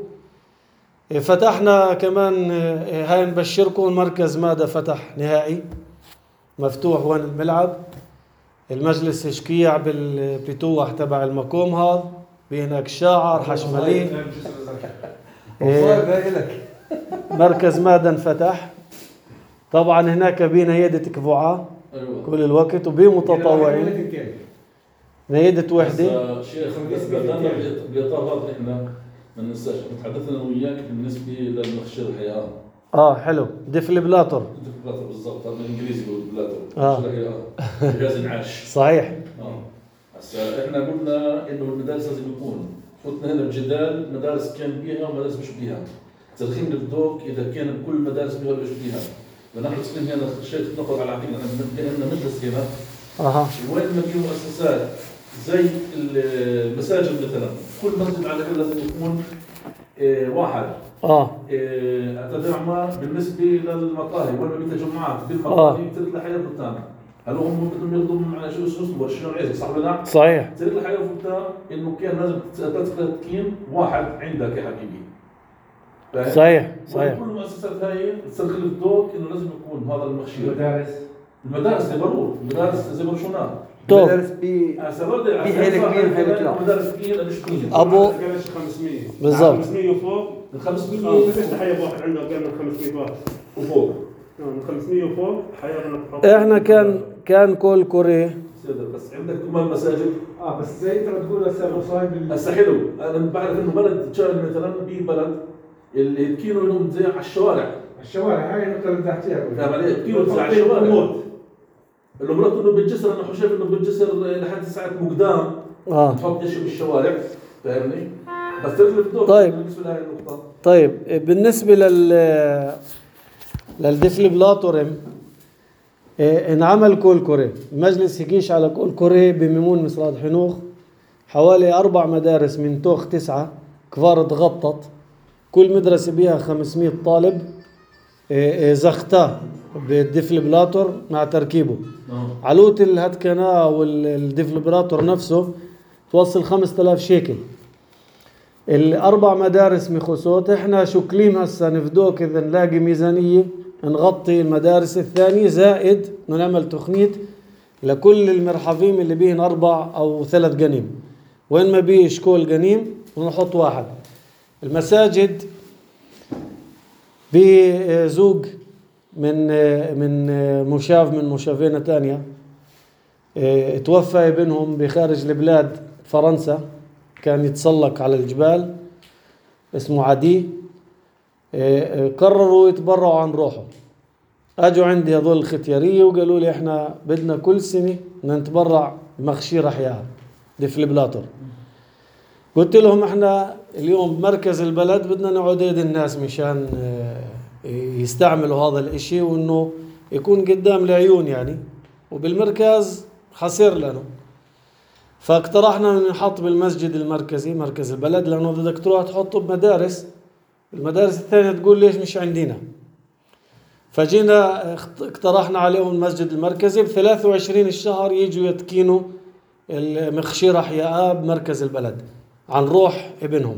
إيه فتحنا كمان إيه هاي نبشركم مركز مادة فتح نهائي مفتوح وين الملعب. المجلس شكيع بالبتوح تبع المقوم هذا بهناك شاعر حشملي. إيه مركز مادة انفتح طبعا هناك بنيادة كفوعة كل الوقت وبمتطوعين نيادة وحدة. شيخ بس بدنا بإطار هذا احنا ما ننساش تحدثنا وياك بالنسبة للمخشر الحياة. اه حلو ديفليبلاتور. ديفليبلاتور بالضبط هذا بالانجليزي بيقولوا ديفليبلاتور. اه جهاز انعاش. صحيح. اه هسا احنا قلنا انه المدارس لازم يكون فتنا هنا بجدال مدارس كان بيها ومدارس مش بيها. ترخيم الذوق اذا كان كل المدارس بيها ولا مش بيها. فنحن مسلمين هنا الشيخ نقل على عقيدة احنا ندرس هنا. اها وين ما في مؤسسات زي المساجد مثلا كل مسجد على الاقل لازم يكون إيه واحد. اه إيه اتبعنا بالنسبه للمقاهي وين ما في تجمعات بالمقاهي بتصير لحياه قدام. هل هم بدهم ياخذوا على شو اسمه شنو العزق صح ولا لا؟ صحيح. تصير لحياه قدام انه كان لازم تتكين واحد عندك يا حبيبي. صحيح صحيح. كل المؤسسات هاي تستغل الذوق انه لازم يكون هذا المخشير. المدارس المدارس زي برور المدارس زي برشلونه المدارس بي في حيل كبير حيل كبير المدارس كبيرة مش كبيرة. ابو خمسمية بالضبط خمسمية وفوق. من خمسمية اه فيش تحية بواحد عنده اقل من خمسمية واحد وفوق. اه من خمسمية وفوق حياة. احنا كان كان كل كوري بس عندك كمان مساجد. اه بس زي انت بتقول هسه صايب هسه حلو انا بعرف انه بلد شغل مثلا ببلد اللي كيلو لهم زي على الشوارع. الشوارع هاي النقطة اللي بدي احكيها. فاهم علي؟ كيلو زي على الشوارع. انه مرات انه بالجسر انا شايف انه بالجسر لحد ساعة مقدام. اه تحط شيء بالشوارع فاهمني؟ بس تغلب دور. طيب بالنسبة لهي النقطة. طيب بالنسبة لل للديفليبلاتورم إيه انعمل كول كوري. المجلس يقيش على كول كوري بميمون مصراد حنوخ حوالي أربع مدارس من توخ تسعة كفار تغطت. كل مدرسة بيها خمسمية طالب. إيه زختاه بالديفليبلاتور مع تركيبه. أوه. علوت الهتكنا والديفليبلاتور نفسه توصل خمسة آلاف شيكل. الأربع مدارس مخصوص احنا شكلين هسا نفدوك إذا نلاقي ميزانية نغطي المدارس الثانية زائد نعمل تخنيت لكل المرحفين اللي بيهن أربع أو ثلاث جنيم. وين ما بيه شكول جنيم ونحط واحد. المساجد بزوج من من مشاف من مشافينا تانية اه توفى ابنهم بخارج البلاد فرنسا كان يتسلق على الجبال اسمه عدي. قرروا يتبرعوا عن روحه. اجوا عندي هذول الختيارية وقالوا لي احنا بدنا كل سنة نتبرع بمخشير احياء ديفليبلاتور. قلت لهم احنا اليوم بمركز البلد بدنا نعدد الناس مشان يستعملوا هذا الاشي وانه يكون قدام العيون يعني، وبالمركز حصير لنا. فاقترحنا ان نحط بالمسجد المركزي مركز البلد، لانه بدك تروح تحطه بمدارس، المدارس الثانية تقول ليش مش عندنا. فجينا اقترحنا عليهم المسجد المركزي بثلاثة وعشرين الشهر يجوا يتكينوا المخشير احياء بمركز البلد عن روح ابنهم.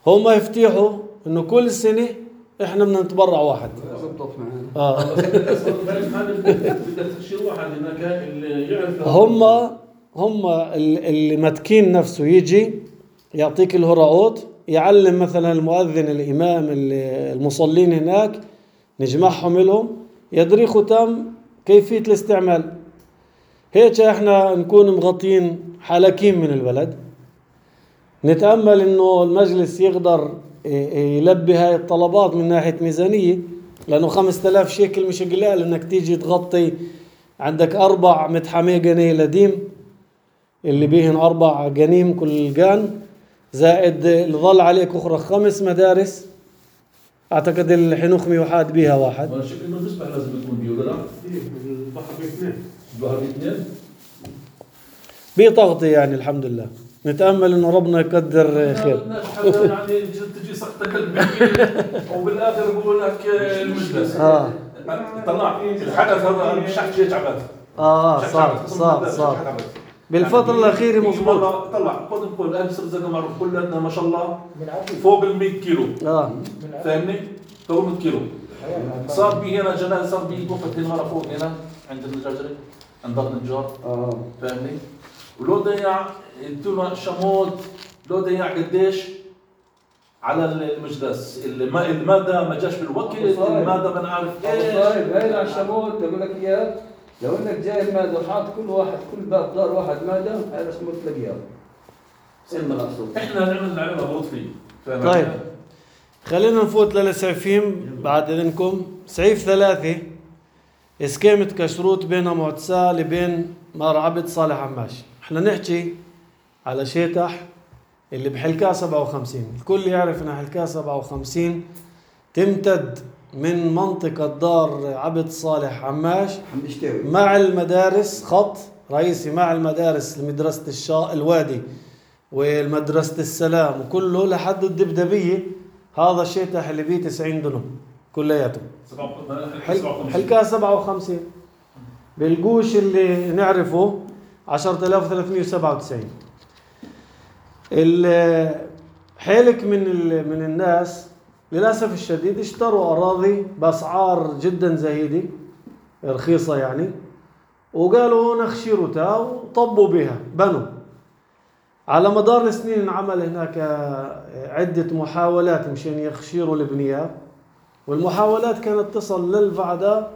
هم يفتيحوا انه كل سنة احنا بدنا نتبرع واحد. زبطت معنا. اه بدك تشيل واحد هناك اللي يعرف. هم هم اللي متكين نفسه يجي يعطيك الهراءات، يعلم مثلا المؤذن الامام المصلين هناك، نجمعهم لهم يدري ختام كيفية الاستعمال. هيك احنا نكون مغطين حلقين من البلد. نتأمل انه المجلس يقدر يلبي هاي الطلبات من ناحية ميزانية، لانه خمسة آلاف شيكل مش قلال انك تيجي تغطي. عندك اربع متحمي قنية لديم اللي بيهن اربع قنيم كل قان، زائد اللي ظل عليك اخرى خمس مدارس. اعتقد الحنوخمي وحاد بيها واحد. انا شكل انه المسبح لازم يكون بيه ولا لا؟ البحر باثنين. البحر باثنين؟ بتغطي يعني الحمد لله. نتأمل انه ربنا يقدر خير. يعني تجي سقطك وبالاخر يقول لك المجلس. اه طلع الحدث هذا مش حكي تعبت. اه صار صار صار بالفترة الأخيرة مظبوط. طلع قدم كل أهل سرزقة معروف كلنا ما شاء الله فوق ال مية كيلو. اه فاهمني؟ فوق مية كيلو. صار بي هنا جنازة، صار بي وقت هنا فوق هنا عند النجاجري عند دار النجار. اه فاهمني؟ ولو ضيع انتوا شموت لو ضيع قديش على المجلس. المادة ما جاش بالوقت، المادة ما نعرف ايش. طيب هاي على الشموت بقول لك اياه، لو انك جايب مادة وحاط كل واحد كل باب دار واحد مادة، هذا شموت تلاقيها. سيدنا مقصود. احنا نعمل نعمل غلط فيه. طيب خلينا نفوت للسعيفين بعد اذنكم. سعيف ثلاثة اسكيمة كشروط بين معتساه لبين مار عبد صالح عماش. احنا نحكي على شيتح اللي بحلكاه سبعة وخمسين. الكل يعرف ان حلكاه سبعة وخمسين تمتد من منطقة دار عبد صالح عماش مع المدارس، خط رئيسي مع المدارس لمدرسة الشا الوادي والمدرسة السلام وكله لحد الدبدبية. هذا الشيتح اللي بيه تسعين دنم كلياته. حلكاه سبعة وخمسين. بالقوش اللي نعرفه عشرة آلاف وثلاثمئة وسبعة وتسعين. الحلك من من الناس للأسف الشديد اشتروا أراضي بأسعار جدا زهيدة رخيصة يعني، وقالوا نخشيرتها وطبوا بها بنوا. على مدار السنين انعمل هناك عدة محاولات مشان يخشيروا البنيات، والمحاولات كانت تصل للفعداء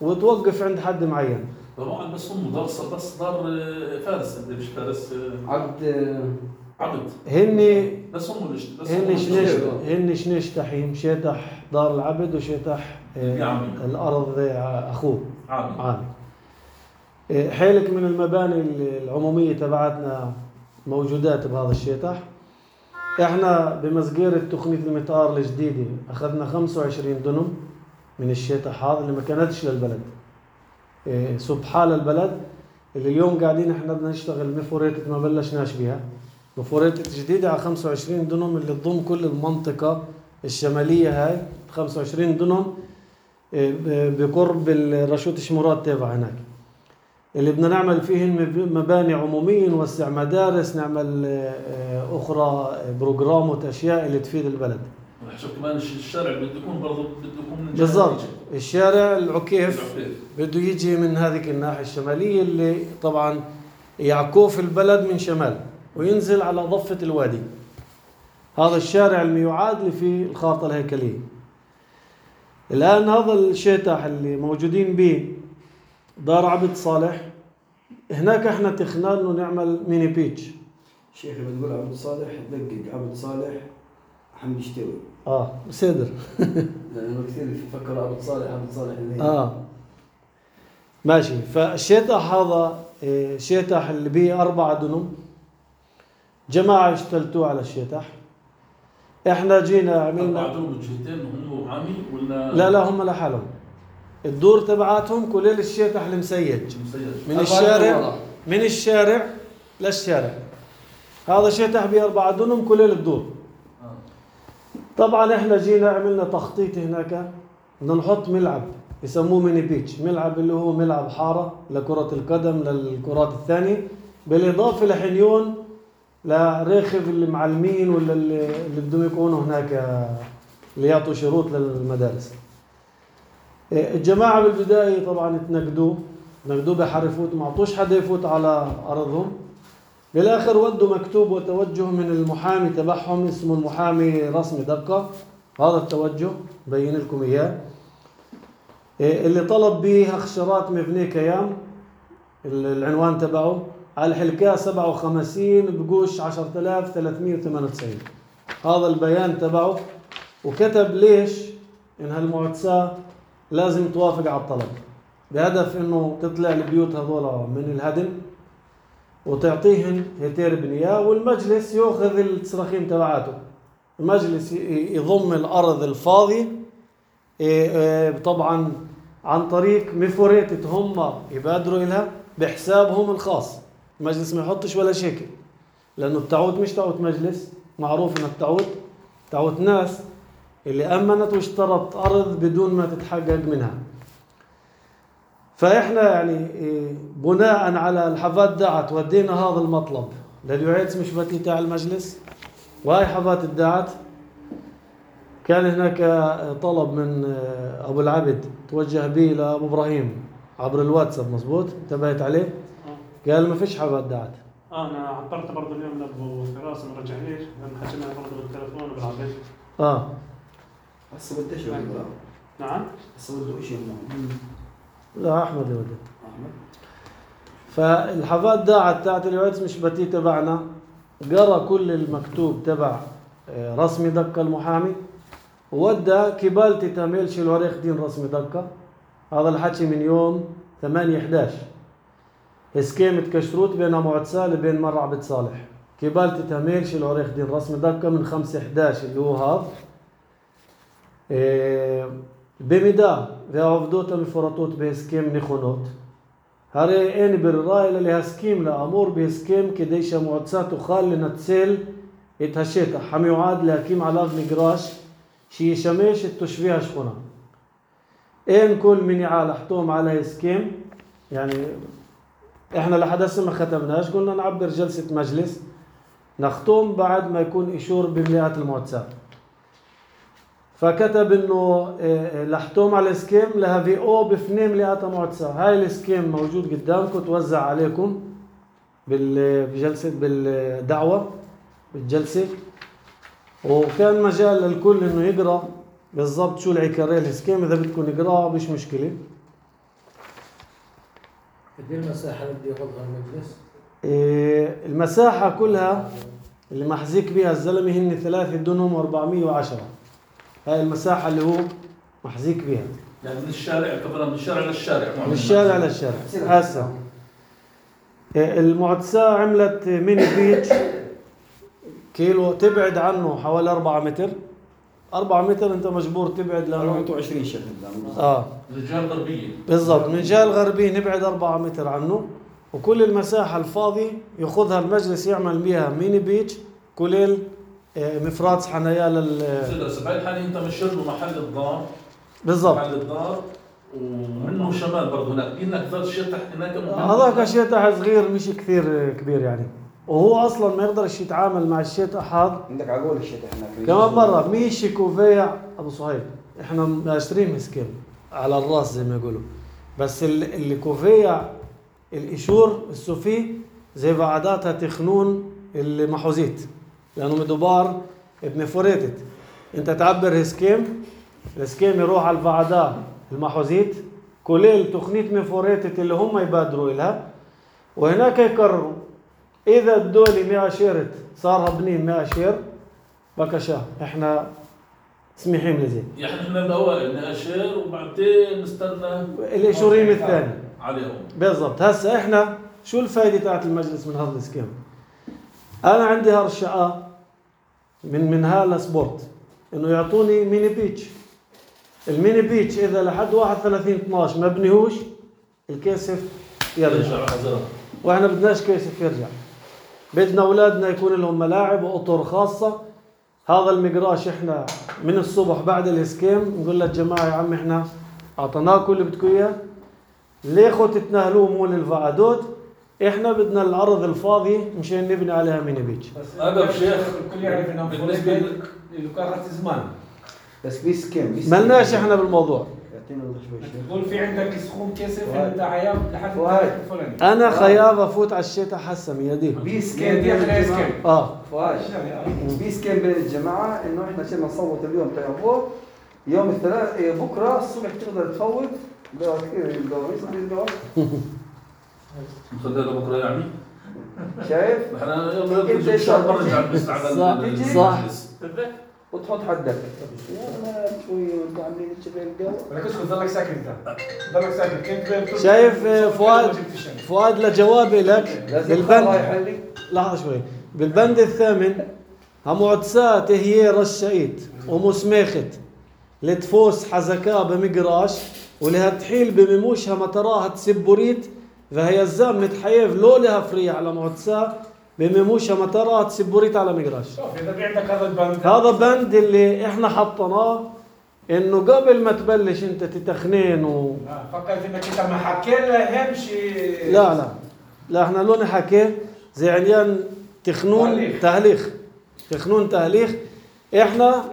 وتوقف عند حد معين. طبعا بس هم دار بس دار فارس مش فارس عبد عبد هن بس هم اللي هن شنيش هن شنيش تحيم شيتح دار العبد وشيتح الأرض أخوه عامي. عامي. حيلك من المباني العمومية تبعتنا موجودات بهذا الشيتح. احنا بمسجير تقنية المطار الجديدة اخذنا خمسة وعشرين دنم من الشيتح هذا اللي ما كانتش للبلد، إيه سبحان البلد اللي اليوم قاعدين احنا بدنا نشتغل مفوريتة ما بلشناش بها. مفوريتة جديدة على خمسة وعشرين دنم اللي تضم كل المنطقة الشمالية هاي خمسة وعشرين دنم إيه بقرب الرشوت شمورات تابع هناك، اللي بدنا نعمل فيهن مباني عمومية، نوسع مدارس، نعمل أخرى بروجرامات أشياء اللي تفيد البلد. شوف كمان الشارع بده يكون برضه بده يكون من بالضبط. الشارع العكيف بده يجي من هذه الناحية الشمالية اللي طبعا يعكوف البلد من شمال وينزل على ضفة الوادي. هذا الشارع الميعاد اللي فيه الخارطة الهيكلية. الآن هذا الشيتح اللي موجودين به دار عبد صالح، هناك احنا تخنا انه نعمل ميني بيتش شيخ لما تقول عبد صالح دقق عبد صالح حمد شتوي. اه صدر. لانه كثير يفكروا عبد صالح عبد صالح اللي اه ماشي. فالشيطح هذا إيه، شيطح اللي بيه أربعة دنم، جماعة اشتلتوه على الشيطح. احنا جينا عملنا عملنا الجهتين هم عامي ولا لا لا هم لحالهم. الدور تبعاتهم كليل الشيطح المسيج من الشارع من الشارع للشارع. هذا شيطح بأربعة دنم كليل الدور. طبعا احنا جينا عملنا تخطيط هناك، بدنا نحط ملعب يسموه ميني بيتش، ملعب اللي هو ملعب حارة لكرة القدم للكرات الثانية، بالإضافة لحنيون لريخف اللي معلمين ولا اللي اللي بدهم يكونوا هناك اللي يعطوا شروط للمدارس. الجماعة بالبداية طبعا تنقدوه نقدوه بحرفوت، ما عطوش حدا يفوت على أرضهم. بالآخر ودوا مكتوب وتوجه من المحامي تبعهم اسمه المحامي رسمي دقة. هذا التوجه بين لكم إياه، اللي طلب به أخشرات مبنية كيام. العنوان تبعه على الحلكاء سبعة وخمسين بقوش عشرة آلاف وثلاثمئة وثمانية وتسعين. هذا البيان تبعه، وكتب ليش إن هالمعتساة لازم توافق على الطلب، بهدف إنه تطلع البيوت هذول من الهدم وتعطيهن هتير بنياه، والمجلس يأخذ التصرخيم تبعاته. المجلس يضم الأرض الفاضية طبعا عن طريق مفوريتة هم يبادروا إلها بحسابهم الخاص. المجلس ما يحطش ولا شيكل، لأنه التعوت مش تعوت مجلس، معروف إن التعوت تعوت ناس اللي أمنت واشترت أرض بدون ما تتحقق منها. فإحنا يعني بناء على الحفات دعت ودينا هذا المطلب لليوعيتس مش بتي تاع المجلس، وهاي حفات الدعت. كان هناك طلب من أبو العبد توجه به لأبو إبراهيم عبر الواتساب، مظبوط؟ انتبهت عليه؟ قال ما فيش حفات دعت. اه انا عبرت برضه اليوم لابو فراس ما رجعنيش، لان حكينا برضه بالتليفون وبالعبد. اه هسه بديش نعم هسه بده شيء لا أحمد اللي وده. احمد. فالحفات داعت تاعت اليوعيتس مش بتي تبعنا، قرأ كل المكتوب تبع رسمي دقة المحامي، وودى كبالتي تاميل شلوريخ دين رسمي دقة. هذا الحكي من يوم ثمانية إحدى عشر. اسكيمة كشروت بين معتساه بين مر عبد صالح. كبالتي تاميل شلوريخ دين رسمي دقة من خمسة إحدى عشر اللي هو هذا. إيه بمدا ועובדות המפורטות בהסכם נכונות, הרי אין ברירה אלא להסכים לאמור בהסכם כדי שהמועצה תוכל לנצל את השטח המיועד להקים עליו מגרש שישמש את תושבי השכונה. אין כל מניעה לחתום على הסכם. يعني احنا لحد هسه ما ختمناش، قلنا نعبر جلسة مجلس نختم بعد ما يكون إشور بمليات المועצה. فكتب انه لحتوم على الاسكيم لهبيئو بفني مليات المועצה. هاي الاسكيم موجود قدامكم، توزع عليكم بالجلسة بالدعوة بالجلسة، وكان مجال للكل انه يقرأ بالضبط شو العكارية الاسكيم. اذا بدكم نقرأه مش مشكلة. قد ايه المساحة اللي بده ياخذها المجلس؟ المساحة كلها اللي محزيك بها الزلمة هن ثلاثة دنهم وأربعمئة وعشرة. هاي المساحة اللي هو محزيك بها، يعني من الشارع كمان من الشارع للشارع من الشارع للشارع. هسه المعتساه عملت ميني بيتش كيلو تبعد عنه حوالي أربعة متر. أربعة متر أنت مجبور تبعد لأنه أربعة وعشرين شهر. آه من الجهة الغربية بالضبط، من الجهة الغربية نبعد أربعة متر عنه، وكل المساحة الفاضية يأخذها المجلس يعمل بها ميني بيتش كليل مفرات حنايا لل بس بهاي الحالة أنت مشيت له محل الدار بالضبط. محل الدار ومنه شمال برضه هناك إنك ذات شيطح هناك. هذاك شيطح صغير مش كثير كبير يعني، وهو أصلا ما يقدرش يتعامل مع الشيطح هذا. عندك عقول الشيطح هناك كمان مرة ميشي كوفيع أبو صهيب، إحنا ماشترين مسكين على الراس زي ما يقولوا، بس اللي كوفيع الإشور السوفي زي بعداتها تخنون المحوزيت، لأنه مدبار بمفوريتت. أنت تعبر هسكيم، الهسكيم يروح على الفعداء المحوزيت كليل تخنيت مفوريتت اللي هم يبادروا إلها، وهناك يكرروا اذا الدولي مئة شيرت صارها بنين مئة شير بكشا احنا سميحين لزين. يعني احنا الاوائل ناشر وبعدين نستنى الاشوريم الثاني عليهم. بالضبط. هسه احنا شو الفائده تاعت المجلس من هذا السكيم؟ انا عندي هالشقه من من هالسبورت انه يعطوني ميني بيتش. الميني بيتش اذا لحد واحد وثلاثين اثناشر ما بنيهوش الكيسف يرجع، واحنا بدناش كيسف يرجع. بدنا اولادنا يكون لهم ملاعب واطر خاصه. هذا المقراش احنا من الصبح بعد الاسكيم نقول للجماعه يا عم احنا اعطيناكم اللي بدكم اياه، ليخوا تتناهلوه مول الفعادوت، احنا بدنا الارض الفاضيه مشان نبني عليها ميني بيتش. هذا الشيخ الكل يعرف انه بالنسبه اللي كان زمان. بس بيس كم بيس ملناش احنا بالموضوع. يعطينا وضح شوي شيخ. تقول في عندك سخون كيسف فؤاد. انت عيام لحد فؤاد. الفلاني. انا خيار افوت على الشتاء حسا ميادي. بيس كم كيف بين يخلق الجماعة. اسكيم؟ اه فؤاد بيس كم بين الجماعة انه احنا عشان نصوت اليوم تيابو يوم الثلاث إيه، بكره الصبح تقدر تفوت ده كثير الجوائز الجوائز نخليها بكره يعني. شايف؟ احنا يلا ان شاء الله نرجع بس على صح. المجلس. وتحط حدك يا شوي وانتوا عاملين تشبه الجو. ولك اسكت ضلك ساكت انت. ضلك ساكت كنت شايف فؤاد فؤاد لجوابي لك لازم بالبند. الله يحلي. لحظه شوي. بالبند الثامن همعدسات هي رشايت ومسماخت لتفوس حزكا بمقراش ولهتحيل بمموشها متراها تسبوريت فهي الزام متحيف لو لها فري على معدسا بمموشها متراها تسبوريت على مقراش. شوف اذا في عندك هذا البند هذا بند اللي احنا حطيناه انه قبل ما تبلش انت تتخنين و آه، فكرت انك انت ما حكيت له همشي. لا لا لا احنا لو نحكي زي عنيان تخنون تهليخ. تهليخ تخنون تهليخ. احنا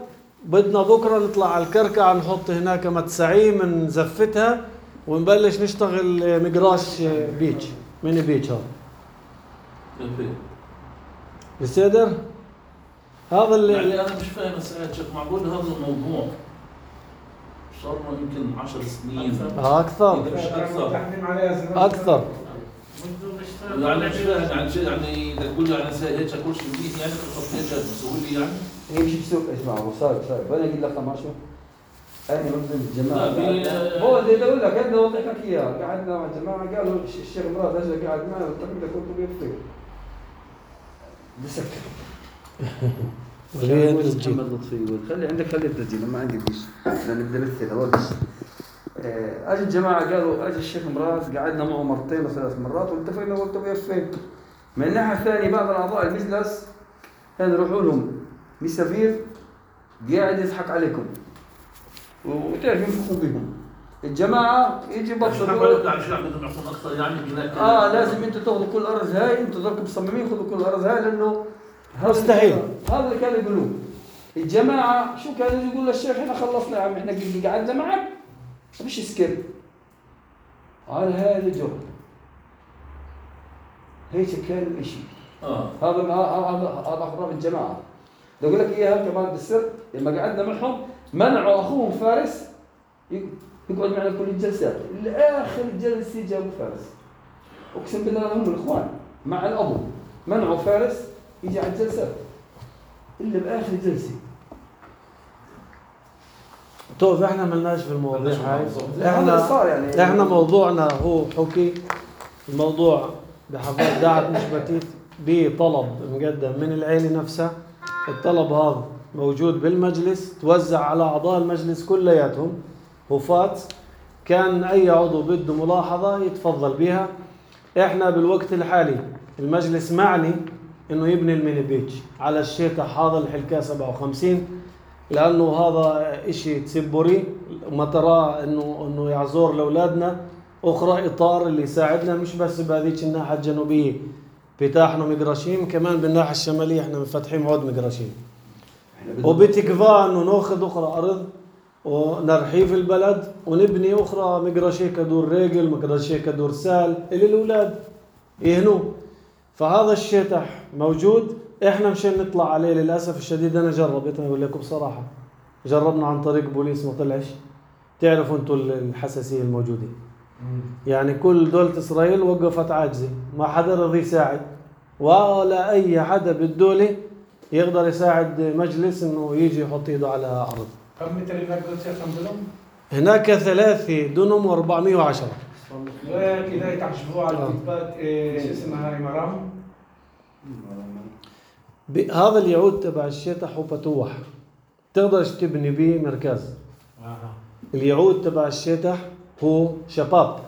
بدنا بكره نطلع على الكركع نحط هناك متسعيم نزفتها ونبلش نشتغل مقراش بيتش ميني بيتش. هذا بصدر هذا اللي يعني انا مش فاهم ساعات شيخ معقول هذا الموضوع صار له يمكن عشر سنين اكثر إذا مش اكثر تحميم عليها زمان. اكثر يعني مش فاهم يعني شيء يعني اذا تقول لي انا هيك كل شيء بدي يعني تحط هيك بسوي لي يعني هي مش بسوق اسمع ابو صالح صالح وانا اقول لك ما شو انا مبذل الجماعه لا، في- هو اللي اقول لك انا اوضح لك اياه قعدنا مع الجماعه قالوا الشيخ مراد اجى قاعد معنا والتقريبا كنت بيفتك بسكر وليه محمد تسجيل لطفي خلي عندك خلي التسجيل ما عندي فيش لان بدي امثل اودش اجى الجماعه قالوا اجى الشيخ مراد قعدنا معه مرتين وثلاث مرات واتفقنا قلت بيفتك من الناحيه الثانيه بعض الاعضاء المجلس كانوا يروحوا لهم مسافير قاعد يضحك عليكم وتعرف ينفخوا بهم الجماعه يجي مش بطل معقول يعني شو بدهم يعطون اكثر يعني هناك اه لازم انتوا تاخذوا كل الارض هاي انتوا ضلكم مصممين خذوا كل الارض هاي لانه هذا مستحيل. اللي- هذا اللي كانوا يقولوه الجماعه شو كانوا يقولوا للشيخ احنا خلصنا يا عم احنا قعدنا معك مش سكيب على هذا الجو هيك كان الاشي اه هذا هذا هذا خراب الجماعه بدي اقول لك اياها كمان بالسر لما قعدنا معهم منعوا اخوهم فارس يقعد معنا كل الجلسات لاخر جلسه جابوا فارس اقسم بالله هم الاخوان مع الابو منعوا فارس يجي على الجلسات الا باخر جلسه. طيب احنا ملناش في المواضيع هاي. هذا اللي صار يعني احنا موضوعنا هو حكي الموضوع بحفاظ دعت مش بتيت بطلب مقدم من العيلة نفسها. الطلب هذا موجود بالمجلس توزع على أعضاء المجلس كلياتهم وفات كان أي عضو بده ملاحظة يتفضل بها. احنا بالوقت الحالي المجلس معني انه يبني الميني بيتش على الشيطح هذا الحلكة سبعة وخمسين لانه هذا اشي تسبوري ما ترى انه انه يعزور لاولادنا اخرى اطار اللي يساعدنا مش بس بهذيك الناحيه الجنوبيه بتاحنا مقراشيم كمان بالناحيه الشماليه احنا مفتحين عود مقراشيم وبتكفى انه ناخذ اخرى ارض ونرحيف البلد ونبني اخرى مقراشيه كدور رجل مقراشيه كدور سال اللي الاولاد يهنوا. فهذا الشيطح موجود احنا مشان نطلع عليه للاسف الشديد. انا جربت اقول لكم بصراحه جربنا عن طريق بوليس ما طلعش. تعرفوا انتم الحساسيه الموجوده يعني كل دولة اسرائيل وقفت عاجزه ما حدا رضي يساعد ولا أي حدا بالدولة يقدر يساعد مجلس إنه يجي يحط إيده على أرض. كم متر هناك قلت يا كم دنم؟ هناك ثلاثة دنم وأربعمية وعشرة. كده يتعشبوا على الكتبات شو اسمها هاي مرام؟ هذا اليعود تبع الشتح هو بتوح، تقدرش تبني بيه مركز. اليعود تبع الشتح هو شباب،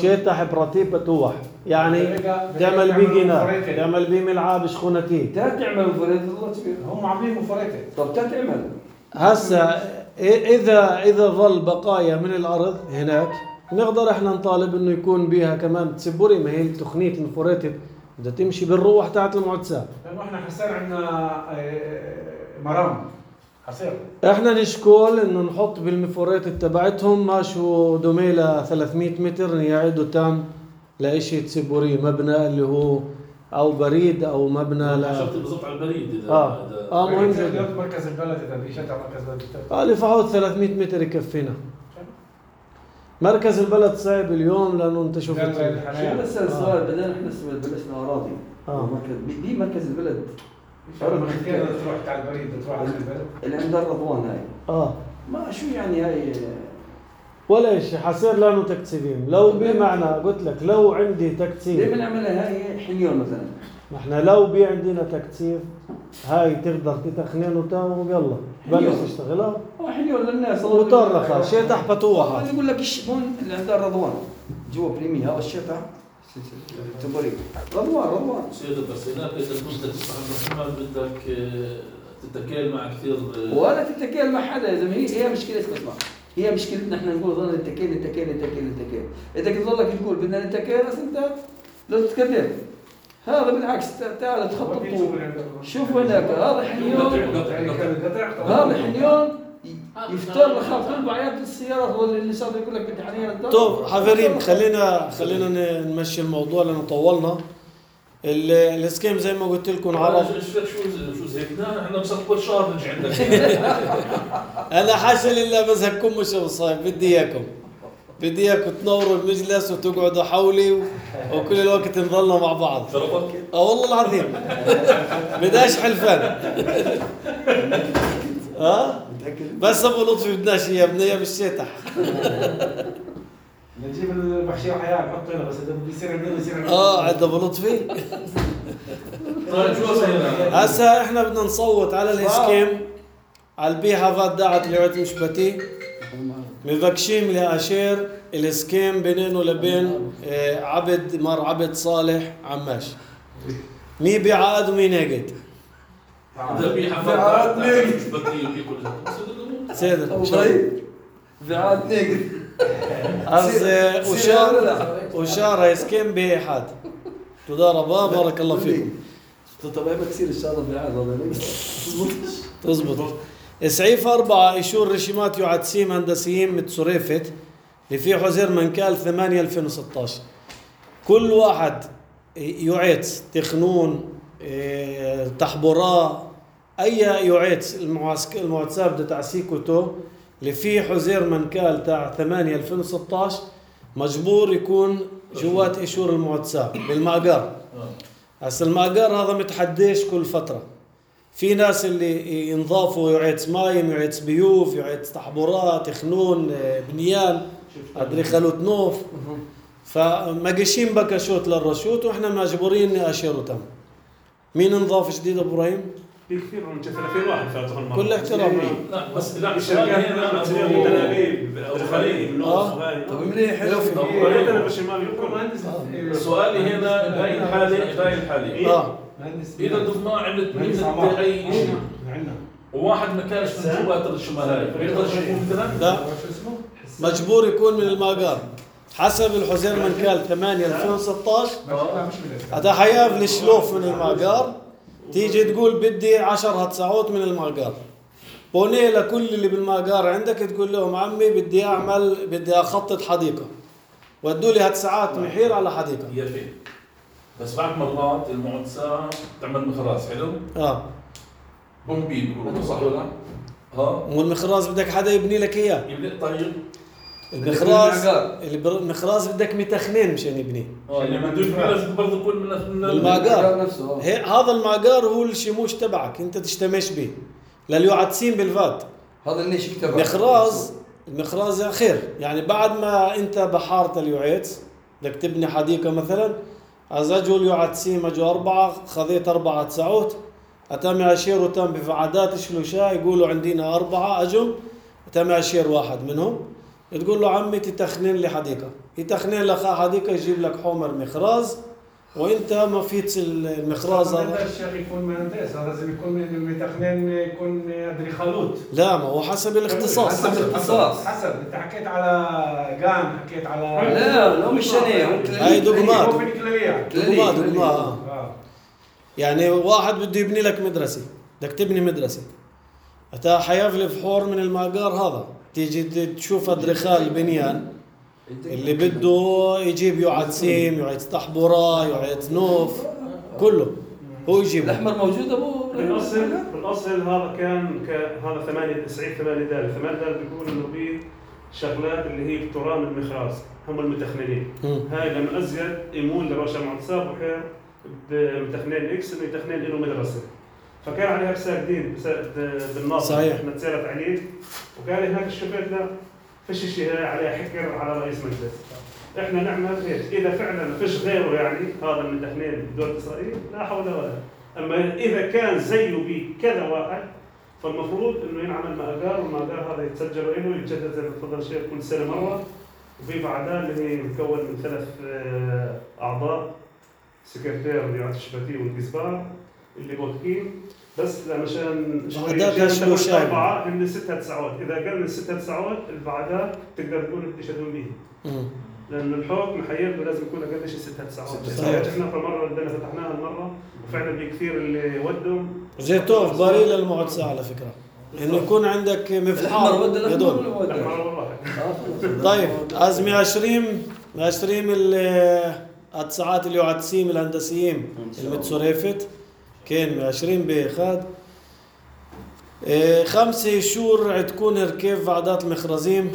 شتح براتي بتوح، يعني تعمل بيه جناح، تعمل بيه ملعب شخونتي. تا تعمل مفردات الله كبير. هم عاملين مفردات. طب تا تعمل. هسا إذا إذا ظل بقايا من الأرض هناك نقدر إحنا نطالب إنه يكون بيها كمان تسبوري، ما هي تقنية المفردات بدها تمشي بالروح تاعت المعتسى. لأنه إحنا حصير عندنا مرام. حصير. إحنا نشكول إنه نحط بالمفردات تبعتهم ماشوا دوميلة ثلاثمية متر يعيدوا تام لإشي تسبوري، مبنى اللي هو أو بريد أو مبنى لا. حسبت بالضبط على البريد إذا آه إذا آه مهم جدا. مركز البلد إذا بيشجع مركز البلد. آه لفحوت ثلاثمية متر يكفينا. مركز البلد صعب اليوم لأنه أنت شفت. شو بس السؤال بدنا نحن بلشنا أراضي. آه. مركز بي مركز البلد. كيف تروح على البريد تروح على البلد؟ اللي عند الرضوان هاي. آه. ما شو يعني هاي. ولا شيء حصير لانه تكتسيبين، لو بمعنى قلت لك لو عندي تكتسيب. ليه بنعملها هاي حنيون مثلا؟ نحن لو بي عندنا تكتسيب هاي تقدر تتخنين وتاو ويلا بلش تشتغلها. هو حنيون للناس. مطرقة شتح بتوحة. أنا يقول لك إيش هون اللي عند الرضوان جوا بريمي هذا الشتح. تبري رضوان رضوان. سيدة بس هناك إذا كنت تسمع محمد بدك تتكل مع كثير. ولا تتكل مع حدا يا زلمه، هي هي مشكلة اسمع. هي مشكلتنا احنا نقول ظل نتكل نتكل نتكل نتكل، اذا كنت ظلك تقول بدنا نتكل بس انت لازم تتكلم. هذا بالعكس تعال تخطط. شوف هناك هذا حنيون، هذا حنيون يفتر لك خاطر بعيات السيارات ولا اللي صار يقول لك بدي حنيون. طيب حبايبي خلينا خلينا نمشي الموضوع لانه طولنا. الاسكيم زي ما قلت لكم عرب. شو شو زهقنا احنا بس كل شهر نجي عندك. انا حاشا لله بزهقكم مش بصايب، بدي اياكم بدي اياكم تنوروا المجلس وتقعدوا حولي و... وكل الوقت نظلنا مع بعض. شرفك؟ اه والله العظيم بداش حلفان. اه بس ابو لطفي بدناش اياه، بدنا اياه بالشتح. نجيب المحشي وحياه نحطه هنا بس اذا بده يصير عندنا يصير. اه عند ابو لطفي. طيب شو صاير؟ هسا احنا بدنا نصوت على الاسكيم على البيحة فات دعت لعوت مشبتي مبكشيم لأشير الاسكيم بينه وبين عبد مر عبد صالح عماش. مين بيعاد ومين ناقد؟ بيعاد ناقد سيدنا بيعاد ناقد. أز وشار وشار اسكيم بإحاد. تضاربا بارك الله فيكم. طب ما كثير الشارع بيعاد والله. تزبط. اسعيف أربعة إشور رشيمات يعدسيم هندسيين متسوريفت اللي في حزير منكال ثمانية ألفين وستة عشر. كل واحد يعيد تخنون تحبراء أي يعيد المعسكر المعتسى بدأ تعسيكوتو اللي في حزير منكال تاع ثمانية ألفين وستة عشر مجبور يكون جوات إشور المعتسى بالمأجر. هسا المأجر هذا متحديش كل فترة. في ناس اللي ينضافوا يعيد مايم يعيد بيوف يعيد تحبورات خنون بنيان أدريخلوت نوف، فمجيشين بكشوت للرشوت واحنا مجبورين نأشروا تم. مين نضاف جديد ابو ابراهيم؟ في كثير من ثلاثين واحد فاتوا المره. كل احترام. لا بس لا الشركات هنا بتصير تنابيب او خليج اه طب منيح حلو في انا بالشمال يكون مهندس. سؤالي هنا هاي الحاله هاي الحاله اه اذا ضفنا عملت مثل اي شيء وواحد ما كانش من جوات الشمال هاي بيقدر يكون مثلا؟ لا مجبور يكون من الماجار حسب الحزير منكال ثمانية ألفين وستة عشر. هذا حياف الشلوف من الماجار تيجي تقول بدي عشر هتسعوت من الماجار. بوني لكل اللي بالماجار عندك تقول لهم عمي بدي اعمل بدي اخطط حديقه ودوا لي هتسعات محير على حديقه. هي فين بس بعد مرات المعتسى تعمل مخراز حلو اه بومبي بيقولوا صح ولا ها والمخراز بدك حدا يبني لك اياه. يبني طيب المخراز المعقار. اللي بر- المخراز بدك مئة اثنين مشان يبنيه. اه اللي بده يبني لازم برضه يكون من من المعقار نفسه آه. هي هذا المعقار هو الشموش تبعك انت تشتمش به لليعدسين بالفات. هذا النيش تبعه. مخراز المخراز خير يعني بعد ما انت بحارت اليوعيتس بدك تبني حديقه مثلا از اجوا اليوعدسين اجوا اربعه خذيت اربعه تسعوت اتم عشير وتم بفعادات شلوشا يقولوا عندنا اربعه اجوا تم عشير واحد منهم تقول له عمي تتخنين لي حديقه يتخنين لك حديقه يجيب لك حمر مخراز وانت ما فيت المخراز هذا هذا. الشيخ يكون مهندس، هذا لازم يكون من المتخنين يكون ادريخالوت. لا ما هو حسب الاختصاص. حسب الاختصاص. حسب انت حكيت على جان، حكيت على لا لا مش شنيه هاي دقمات. هو في الكلية. دقمات دقمات آه. آه. يعني واحد بده يبني لك مدرسة بدك تبني مدرسة أتا حيفلي فحور من المعقار هذا تيجي تشوف أدرخال البنيان اللي بده يجيب يعد سيم يعد طحبورة يعد نوف كله هو يجيب. الاحمر موجود ابو بالاصل بالاصل هذا كان ك- هذا ثمانية تسعين ثمانية دال ثمانية دال بيقول انه في شغلات اللي هي بترام المخراز هم المتخنين. هاي لما ازيد يمول لرشا معتصاب وحير بمتخنين اكس انه يتخنين له مدرسه. فكان عليها رسالة جديد بالناصر صحيح. احنا تسالت عليه وقال هناك الشباب لا فيش شيء عليه حكر على رئيس مجلس. احنا نعمل هيك اذا فعلا فيش غيره يعني هذا المتخنين بدولة اسرائيل لا حول ولا قوة. اما اذا كان زيه بكذا واحد فالمفروض انه ينعمل مقدار والمقدار هذا يتسجل له ويتجدد زي ما تفضل الشيخ كل سنه مره. وفي بعدها اللي هي مكون من ثلاث آه، اعضاء سكرتير رياض الشباتي والجزبار اللي بوكين بس مشان بعدها تشلو شاي. اربعه من ستة تسعود اذا قل من ستة تسعود اللي بعدها تقدر تقول بتشهدون به. لأن الحكم حيبقى لازم يكون أقل شيء ستة تسعة. صحيح. احنا في مرة بدنا فتحناها المرة وفعلا بكثير اللي ودهم. جيتوف باري للمعتصة على فكرة إنه يكون عندك مفحار هدول. طيب از مئة وعشرين مئة وعشرين التسعات اللي يعدسيم الهندسيين المتصرفت كان مئة وعشرين بخاد إيه خمسة شهور عتكون هركيف وعدات المخرزيم.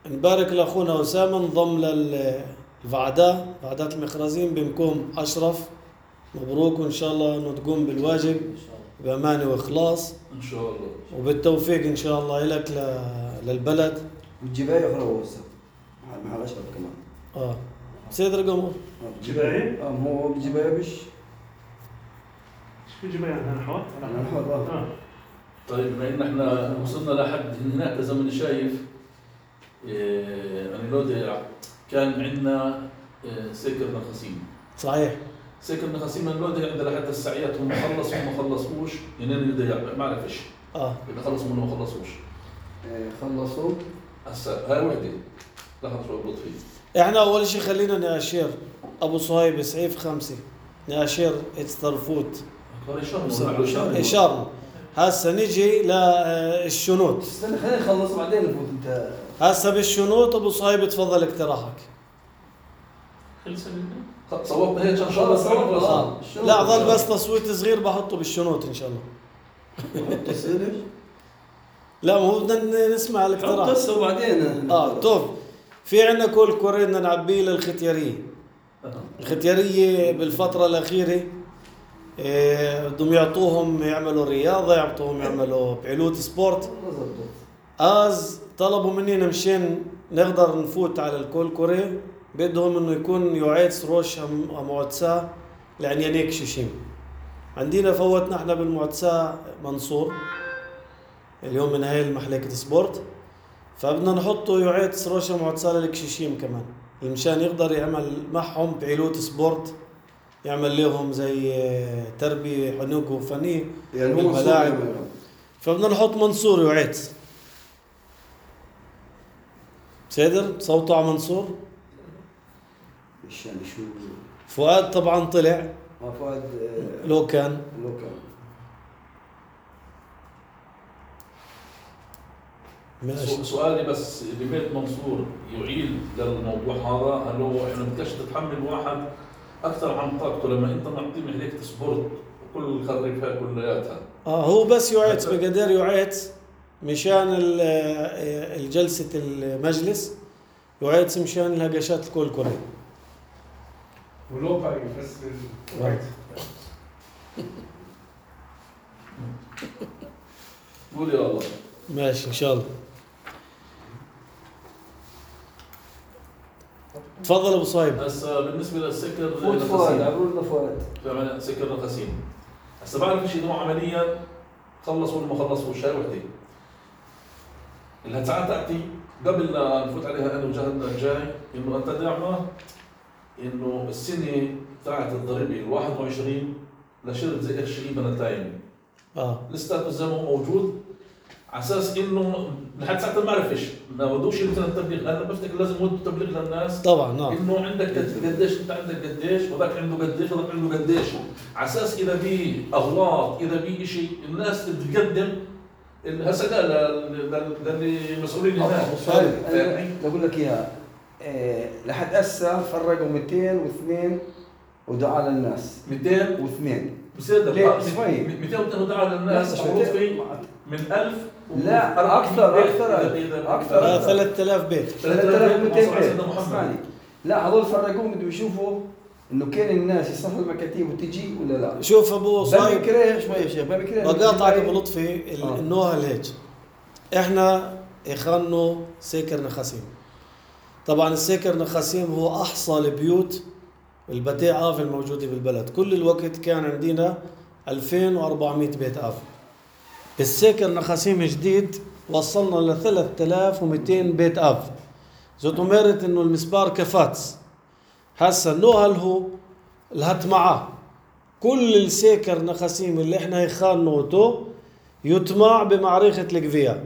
نبارك لاخونا اسامه انضم للوعدة وعدات المخرزين بمكوم اشرف مبروك وان شاء الله انه تقوم بالواجب بامانه واخلاص ان شاء الله وبالتوفيق ان شاء الله لك للبلد. والجباية أخرى هو هسه محل أشرف كمان. اه سيد رقم جباية؟ اه هو بالجباية بش شو جباية أنا حوار؟ أنا حر آه. طيب بما ان احنا وصلنا لحد هناك زي ما انا شايف إيه انا لو كان عندنا إيه سكر نخاسيم. صحيح سكر نخاسيم اللودي عندنا لحد الساعات هم خلصوا ما خلصوش ينين يضيع ما عرفش اه اذا خلصوا منه ما خلصوش خلصوا هسه هاي وحده لحظه شوي بضبط فيه. احنا اول شيء خلينا ناشير ابو صهيب سعيف خمسة ناشير اتسترفوت اشارنا هسه نجي للشنوط. استنى خلينا نخلص بعدين نفوت انت. هسه بالشنوط ابو صهيب تفضل اقتراحك. صوتنا هيك ان شاء الله صوتنا. لا ظل بس تصويت صغير بحطه بالشنوط ان شاء الله. تصير ايش؟ لا مو بدنا نسمع الاقتراح. حط هسه وبعدين اه طب في عندنا كل كوري بدنا نعبيه للختياريه. الختياريه بالفتره الاخيره إيه بدهم يعطوهم يعملوا رياضه يعطوهم يعملوا بعلوت سبورت. از طلبوا مننا مشان نقدر نفوت على الكل كوري بدهم انه يكون يعيد سروش معتسى لعنيانيك شيشيم. عندنا فوتنا احنا بالمعتسى منصور اليوم من هاي المحلكة سبورت فبدنا نحطه يعيد سروش معتسى للكشيشيم كمان مشان يقدر يعمل معهم بعيلوت سبورت يعمل لهم زي تربية حنوك وفنية يعني بالملاعب. فبدنا نحط منصور يعيد سيدر صوته على منصور. ايش يعني شو فؤاد طبعا طلع اه فؤاد لو كان لو كان ماشي. سؤالي بس ببيت منصور يعيد للموضوع هذا هل هو احنا بدكش تتحمل واحد اكثر عن طاقته لما انت معطيه محلية سبورت وكل خريفها كلياتها. اه هو بس يعيد بقدر يعيد مشان الجلسة المجلس يعيد مشان الهجشات الكل كله. ولوقعي بس للوقت. قول يا الله. ماشي إن شاء الله. تفضل أبو صايب. هسا بالنسبة للسكر فوت فؤاد عبروا لنا فؤاد. فعلا سكر نخاسين. هسا بعرف شيء انه عمليا خلص ولا ما خلصوش هاي وحده. الهتساعات تاعتي قبل لا نفوت عليها انا وجهدنا الجاي انه انت دعمه انه السنه تاعت الضريبه ال واحد وعشرين لشرط زي قرش ايبن التايم. اه الستاتس زي ما هو موجود على اساس انه لحد ساعه ما بعرفش ما بدوش مثلا التبليغ. انا بفتكر لازم يودوا تبليغ للناس طبعا نعم. انه عندك قد- قديش انت عندك قديش وذاك عنده قديش وذاك عنده قديش على اساس اذا في اغلاط اذا في شيء الناس تتقدم هسه للي مسؤولين هناك. فاهمني؟ بقول لك اياها إيه لحد هسه فرقوا مئتين واثنين ودعاء للناس مئتين واثنين بصير ليه؟ شوي. مئتين واثنين ودعاء للناس لا، معروف شوي. في من ألف لا، أكثر، أكثر. أكثر. آه ثلاثة آلاف بيت. ثلاثة آلاف ومئتين بيت. سيدنا محمد. اسمعني. لا هذول فرقوهم بدهم يشوفوا انه كان الناس يصحوا المكاتيب وتجي ولا لا. شوف أبو صايب بكره شوي يا شيخ بكره بقاطعك أبو لطفي ال- آه. النوها هيك. إحنا إخانو سيكر نخاسيم. طبعا السيكر نخاسيم هو أحصى البيوت البتاع آف الموجودة بالبلد. كل الوقت كان عندنا ألفين وأربعمئة بيت آف. السيكر نخاسيم جديد وصلنا ل ثلاثة آلاف ومئتين بيت آف. زوتو ميرت إنه المسبار كفاتس. هسا النوهل هو الهت معاه كل السيكر نخاسيم اللي احنا يخانوتو يتماع بمعركة القفية.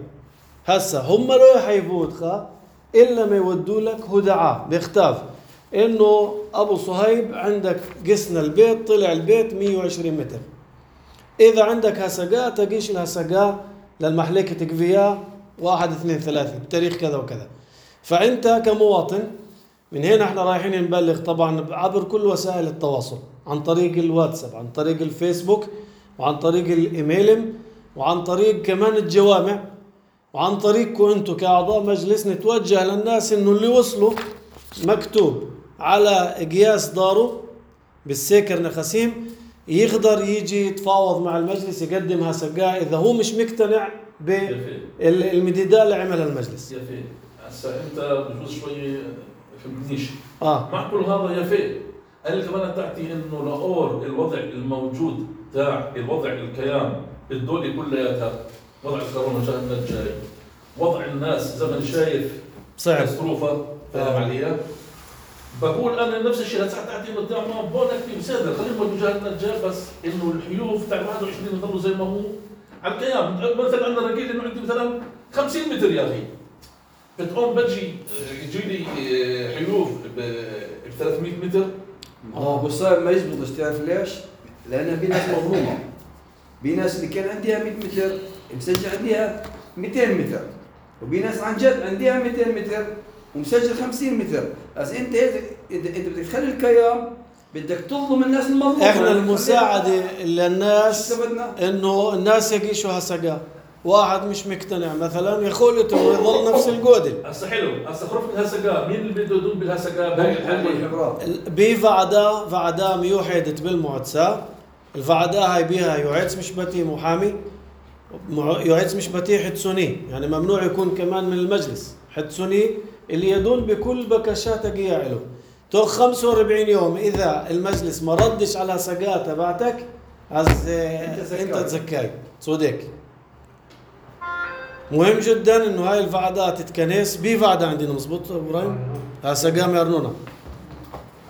هسا هم لو يحيفوت خا إلا ما يودوا لك هدعاء بيختاف إنه أبو صهيب عندك قسنا البيت طلع البيت مئة وعشرين متر. إذا عندك هسقاء تقيش الهسقاء للمحلكة قفية واحد اثنين ثلاثة بتاريخ كذا وكذا. فأنت كمواطن من هنا احنا رايحين نبلغ طبعا عبر كل وسائل التواصل عن طريق الواتساب عن طريق الفيسبوك وعن طريق الايميل وعن طريق كمان الجوامع وعن طريقكم انتم كاعضاء مجلس نتوجه للناس انه اللي وصلوا مكتوب على قياس داره بالسيكر نخاسيم يقدر يجي يتفاوض مع المجلس يقدم هسقاء اذا هو مش مقتنع بالمديدات اللي عملها المجلس. يا في هسا انت بجوز شوي فهمتنيش. اه مع كل هذا يا في انا كمان تاعتي انه لاور الوضع الموجود تاع الوضع الكيان الدولي كلياتها وضع الكورونا جانا الجاي وضع الناس زي ما شايف صعب كاتستروفه فاهم علي؟ بقول انا نفس الشيء هسه تاعتي قدام ما بقول لك بسادة خلينا نقول جانا الجاي بس انه الحيوف تاع واحد وعشرين يضلوا زي ما هو على الكيان. مثلا انا رجيت انه عندي مثلا خمسين متر يا اخي بتقوم بجي يجي لي حيوف ب ثلاثمئة متر. اه ابو صايب ما يزبطش تعرف ليش؟ لان في ناس مظلومه. في ناس اللي كان عندها مئة متر مسجل عندها مئتين متر وفي ناس عن جد عندها مئتين متر ومسجل خمسين متر. بس انت انت انت بدك تخلي الكيان بدك تظلم الناس المظلومه. احنا المساعده للناس انه الناس يقيشوا هسقاء. واحد مش مقتنع مثلا يقول له يظل نفس الجودل. هسه حلو هسه خرفت الهسقاء مين اللي بده يدوم بالهسقاء بهاي الحاله؟ بفعدا فعدا ميوحدت بالمعتسى. الفعدا هاي بيها يعيد مش بتي محامي يعيد مش بتي حدسوني يعني ممنوع يكون كمان من المجلس حدسوني اللي يدون بكل بكشات قيا له. تو خمسة وأربعين يوم اذا المجلس ما ردش على سقاء تبعتك از انت تزكاي صدق. مهم جدا انه هاي الفعدات تتكنس بفعدة عندنا مزبوط ابراهيم؟ هسه قام يرنونا.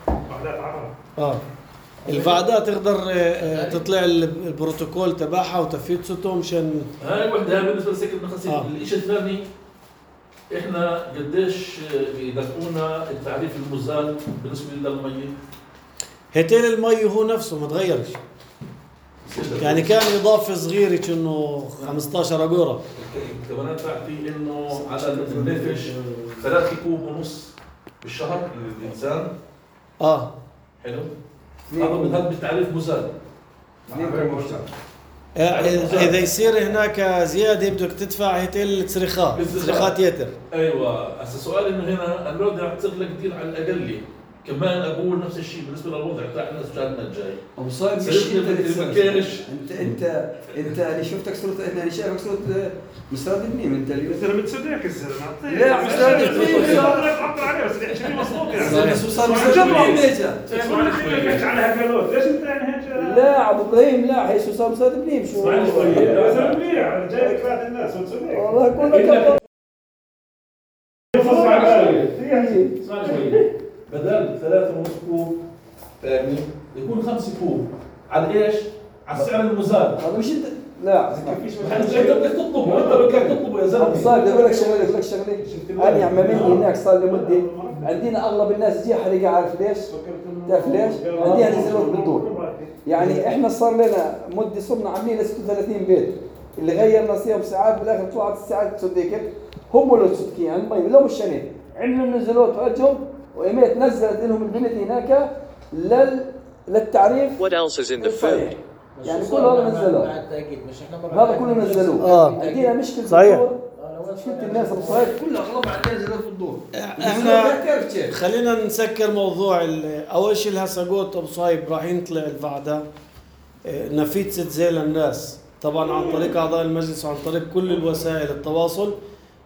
وحدات عرب. اه الفعدات تقدر تطلع البروتوكول تبعها وتفيد ستهم مشان هاي وحده هاي بالنسبه لسكر نخاسيم. آه. الشيء الثاني احنا قديش يدفعونا التعريف المزال بالنسبه للمي؟ هتيل المي هو نفسه ما تغيرش. يعني كان اضافه صغيره انه خمسة عشر اجوره. الكمانات تاعتي انه على النفش ثلاثة كوب ونص بالشهر للانسان. اه حلو. هذا من هذا بالتعريف مزال. اذا يصير هناك زياده بدك تدفع هيتل صريخات صريخات يتر. ايوه هسه سؤالي انه هنا الوضع تغلى كثير على الاقل. كمان اقول نفس الشيء بالنسبه للوضع تاع الناس شهرنا الجاي. ابو صايب مش انت انت انت انت انا شفتك صرت انا شايفك صرت مسترد بنيم انت اليوم. انت لما تصدقك الزلمه لا مسترد بنيم عبر عليه بس يحكي مظبوط يعني صار مسترد بنيم ليش على هالقالوت ليش انت يعني هيك؟ لا ابو ابراهيم لا هي صار مسترد بنيم شو اسمعني شوي اسمعني منيح جاي كفايه الناس وتصدق والله كلك اسمعني شوي بدل ثلاثة ونص كوب فاهمني يكون خمسة كوب على ايش؟ على السعر المزاد. هذا مش انت لا انت بدك تطلبه انت بدك تطلبه يا زلمه. صار بدي اقول لك شغله اقول لك شغله انا عمامي هناك صار لي مده عندنا اغلب الناس جي حريقه عارف ليش؟ تعرف ليش؟ عندنا نزلوك بالدور يعني احنا صار لنا مده صرنا عاملين ستة وثلاثين بيت اللي غيرنا فيهم ساعات بالاخر طلعت الساعات تصدق هم اللي تصدقين يعني المي لو مش شنين عندنا نزلوت وجههم وإيميت نزلت لهم البنت هناك لل للتعريف. What else is in the food? يعني كل هذا نزلوه. هذا كله نزلوه. آه. عندنا مشكلة صحيح. مشكلة الناس الصغيرة كلها أغلب عندنا نزلوه في الدور. احنا خلينا نسكر موضوع اول شيء اللي هسه قلت ابو صايب راح يطلع الفعدة نفيد ست زي للناس طبعا عن طريق اعضاء المجلس وعن طريق كل الوسائل التواصل.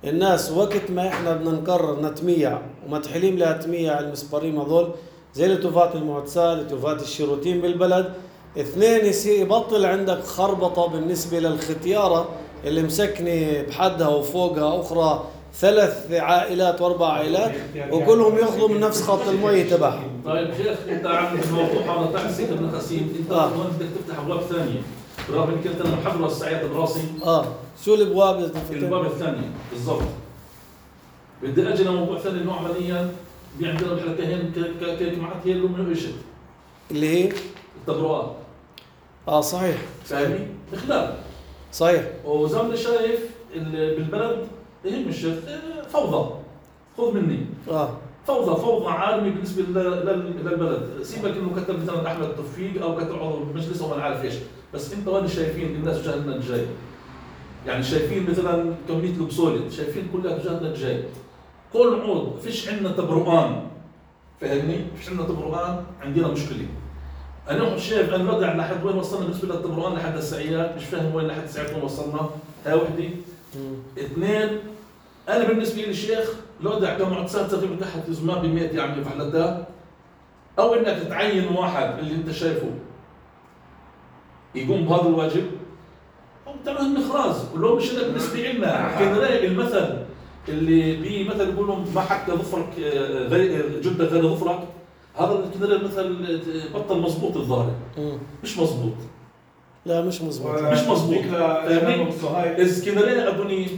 الناس وقت ما احنا بدنا نقرر نتميع ومتحلين لها تميع المسبرين هذول زي لتوفات المعتسة لتوفات الشيروتين بالبلد اثنين يصير يبطل عندك خربطة بالنسبة للختيارة اللي مسكنة بحدها وفوقها أخرى ثلاث عائلات واربع عائلات وكلهم ياخذوا من نفس خط المي تبعهم. طيب شيخ انت عم الموضوع هذا تاع السكر بن خسيم انت آه. بدك تفتح ابواب ثانيه برغم انك انت انا محضر السعيات براسي. اه شو الابواب اللي الابواب الثانيه بالضبط. بدي اجي لموضوع ثاني انه عمليا في عندنا الحلقتين كجماعات هي اللي هم ايش اللي هي التبرؤات. اه صحيح فاهمني؟ اخلال صحيح. وزي ما شايف بالبلد يهم الشيخ فوضى خذ مني اه فوضى فوضى عالمي بالنسبه للبلد. سيبك انه كتب مثلا احمد توفيق او كتب عضو المجلس او ما نعرف ايش بس انت وين شايفين الناس جهلنا الجاي يعني شايفين مثلا كميه البسولة شايفين كلها جهلنا الجاي كل عود فيش عندنا تبرؤان فاهمني فيش عندنا تبرؤان عندنا مشكله. انا شايف انا الوضع لحد وين وصلنا بالنسبه للتبرؤان لحد السعيات مش فاهم وين لحد السعيات وين وصلنا. هاي وحده. اثنين انا بالنسبه لي الشيخ الوضع كمعتسات تقريبا تحت زمان ب مئة يعني فحلتها او انك تعين واحد اللي انت شايفه يقوم بهذا الواجب او تعمل مخراز ولو مش لك بالنسبه لنا كان رايق المثل اللي بي مثل يقولوا ما حكى ظفرك غير جدك غير ظفرك هذا الكناري المثل بطل مضبوط الظاهر مش مضبوط. لا مش مضبوط مش مضبوط فاهمني؟ اذا كناري اظني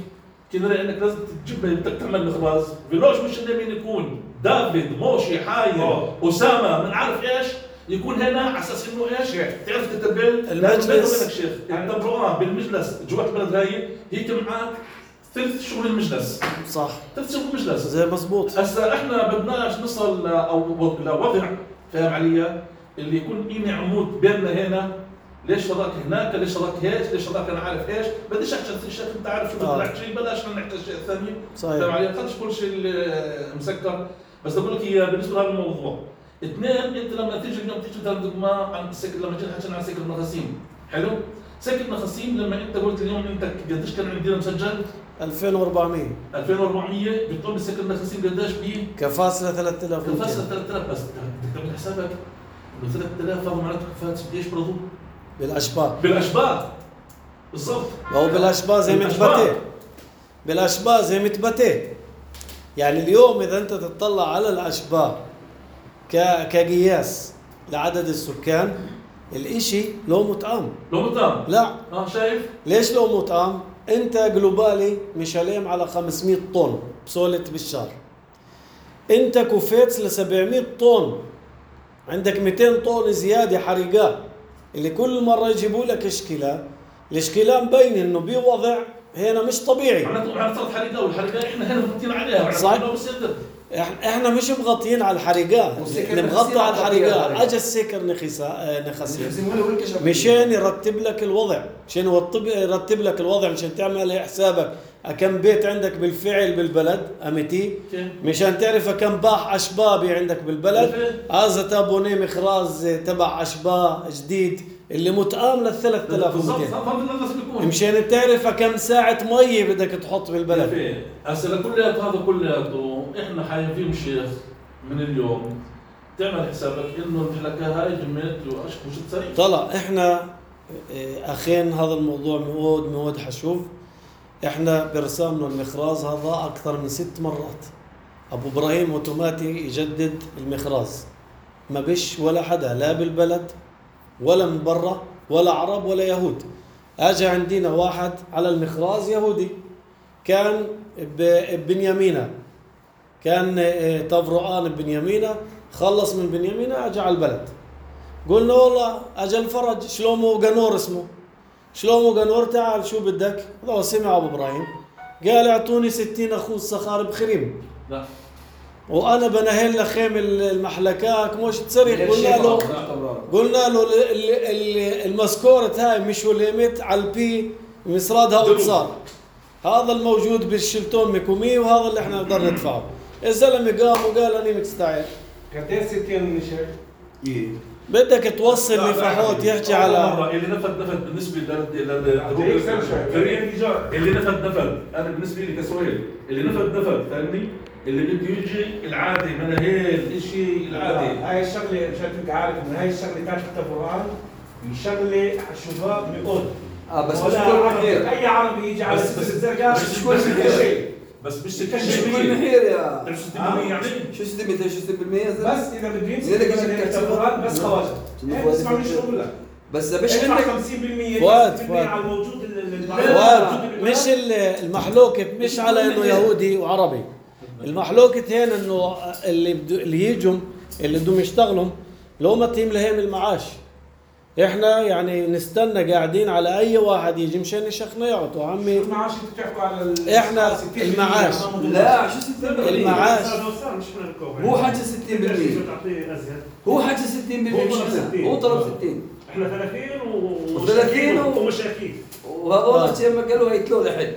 كناري انك لازم تجيب بدك تعمل مخراز فيلوش مش مين يكون دافيد موشي حاير اسامه من عارف ايش يكون هنا على اساس انه ايش تعرف تتبل المجلس شيخ التبرؤان بالمجلس جوات البلد هاي هيك معك ثلث شغل المجلس صح ثلث شغل المجلس زي مضبوط. هسا احنا بدناش نصل او لوضع فاهم علي اللي يكون إيني عمود بيننا هنا ليش شراك هناك ليش شراك هيك ليش شراك انا عارف ايش بديش احكي الشيخ انت عارف شو بدك تحكي بلاش نحكي الشيء الثاني فاهم علي خلص كل شيء مسكر بس بقول لك هي بالنسبه لهذا الموضوع. اثنين انت لما تيجي اليوم تيجي تاخذ ما عن السكر لما جينا حكينا عن سكر النخاسيم حلو سكر النخاسيم لما انت قلت اليوم انت قديش كان عندنا مسجل ألفين وأربعمية ألفين وأربعمية بتقول بالسكر النخاسيم قديش بيه كفاصلة ثلاثة آلاف كفاصلة ثلاثة آلاف بس بدك تعمل حسابك انه ثلاثة آلاف هذا معناته كفاءة قديش برضو بالاشباه بالاشباه بالضبط هو بالاشباه زي متبتة بالاشباه زي متبتة يعني اليوم اذا انت تطلع على الاشباه كقياس لعدد السكان الاشي لو مطعم لو مطعم لا اه شايف ليش لو مطعم انت جلوبالي مش عليهم على خمسمئة طن بسولة بالشهر انت كوفيتس ل سبعمئة طن عندك مئتين طن زيادة حريقات اللي كل مرة يجيبوا لك اشكالة الاشكالة مبين انه بوضع هنا مش طبيعي معناته معناته صارت حريقة والحريقة احنا هنا مغطين عليها صح إح- احنا مش مغطيين على الحريقات، والسكر اللي نخسي مغطى على مغطي على الحريقات. الحريقات. اجى السكر نخسا آه، نخسي يخزموا له والكشف. مشان يرتب لك الوضع، مشان يرتب يرتب لك الوضع، مشان تعمل حسابك كم بيت عندك بالفعل بالبلد امتي، مشان تعرف كم باح اشبابي عندك بالبلد. هذا تابوني مخراز تبع اشباه جديد اللي متآم لل ثلاثة آلاف ومئتين، مشان تعرف كم ساعة مية بدك تحط بالبلد. هسه كلياته هذا كلياته احنا حايفين شيخ من اليوم تعمل حسابك انه المحلكه هاي جمعت واشكو شو تصير. طلع احنا اه، اخين هذا الموضوع مود مود حشوف. احنا برسامنا المخراز هذا اكثر من ست مرات. ابو ابراهيم اوتوماتي يجدد المخراز، ما بش ولا حدا لا بالبلد ولا من برا ولا عرب ولا يهود. اجى عندنا واحد على المخراز يهودي كان ببنيامينا، كان اه، تفرقان ببنيامينا، خلص من بنيامينا اجى على البلد. قلنا والله اجى الفرج شلومو قنور اسمه، شلومو قنور تعال شو بدك؟ هذا سمع ابو ابراهيم قال اعطوني ستين اخوذ صخار بخريم. لا وانا بنهل لخيم المحلكاك مش تصريخ. قلنا له قلنا له ال- ال- ال- المسكورة هاي مش وليمت على البي مصرادها اوتصار، هذا الموجود بالشلتون ميكومي وهذا اللي احنا نقدر ندفعه. الزلمه قام وقال اني مستعد. قديش ستين شيخ؟ إيه. بدك توصل لفحوت يحكي على مرة اللي نفد نفد بالنسبه للدروب اللي نفد نفد انا بالنسبه لي كسؤال اللي نفد نفد فاهمني؟ اللي بده يجي العادي مناهيل الشيء العادي. هاي الشغله مشان تبقى عارف ان هاي الشغله تاعت التفرعات شغله شباب مئود. اه بس مش ولا كل عربي- محير. اي عربي يجي على بس- بس الزرقاء بس مش كل كل محير. شيء. بس مش مش ستين كل بالمية محير يا مش ستين بالمية يعني شو ستين بالمية شو ستين بالمية بس اذا بده زي يمسك لك من شركة التفرعات بس نعم. خواجه. شنو إيه، فؤاد اسمع من شو يفكر؟ بقول لك. بس مش ادفع عندك خمسين بالمية فؤاد، ثلاثين بالمية فؤاد. على الموجود ال- فؤاد مش ال- المحلوكة مش على انه يهودي وعربي. المحلوكة هنا انه اللي بدو اللي يجوا اللي بدهم يشتغلوا لو ما تيم لهم المعاش. احنا يعني نستنى قاعدين على اي واحد يجي مشان يشخنا يعطوا عمي. المعاش انتوا بتحكوا على ال- إحنا ستين بالمية المعاش. ما موجود. لا شو ستين بالمية المعاش. مو حكي ستين بالمية هو حكي ستين بالمية هو طلب ستين. هو طلب ستين احنا ثلاثين و وثلاثين و- ومشاكيك. وهذول لما قالوا هيتلو لحد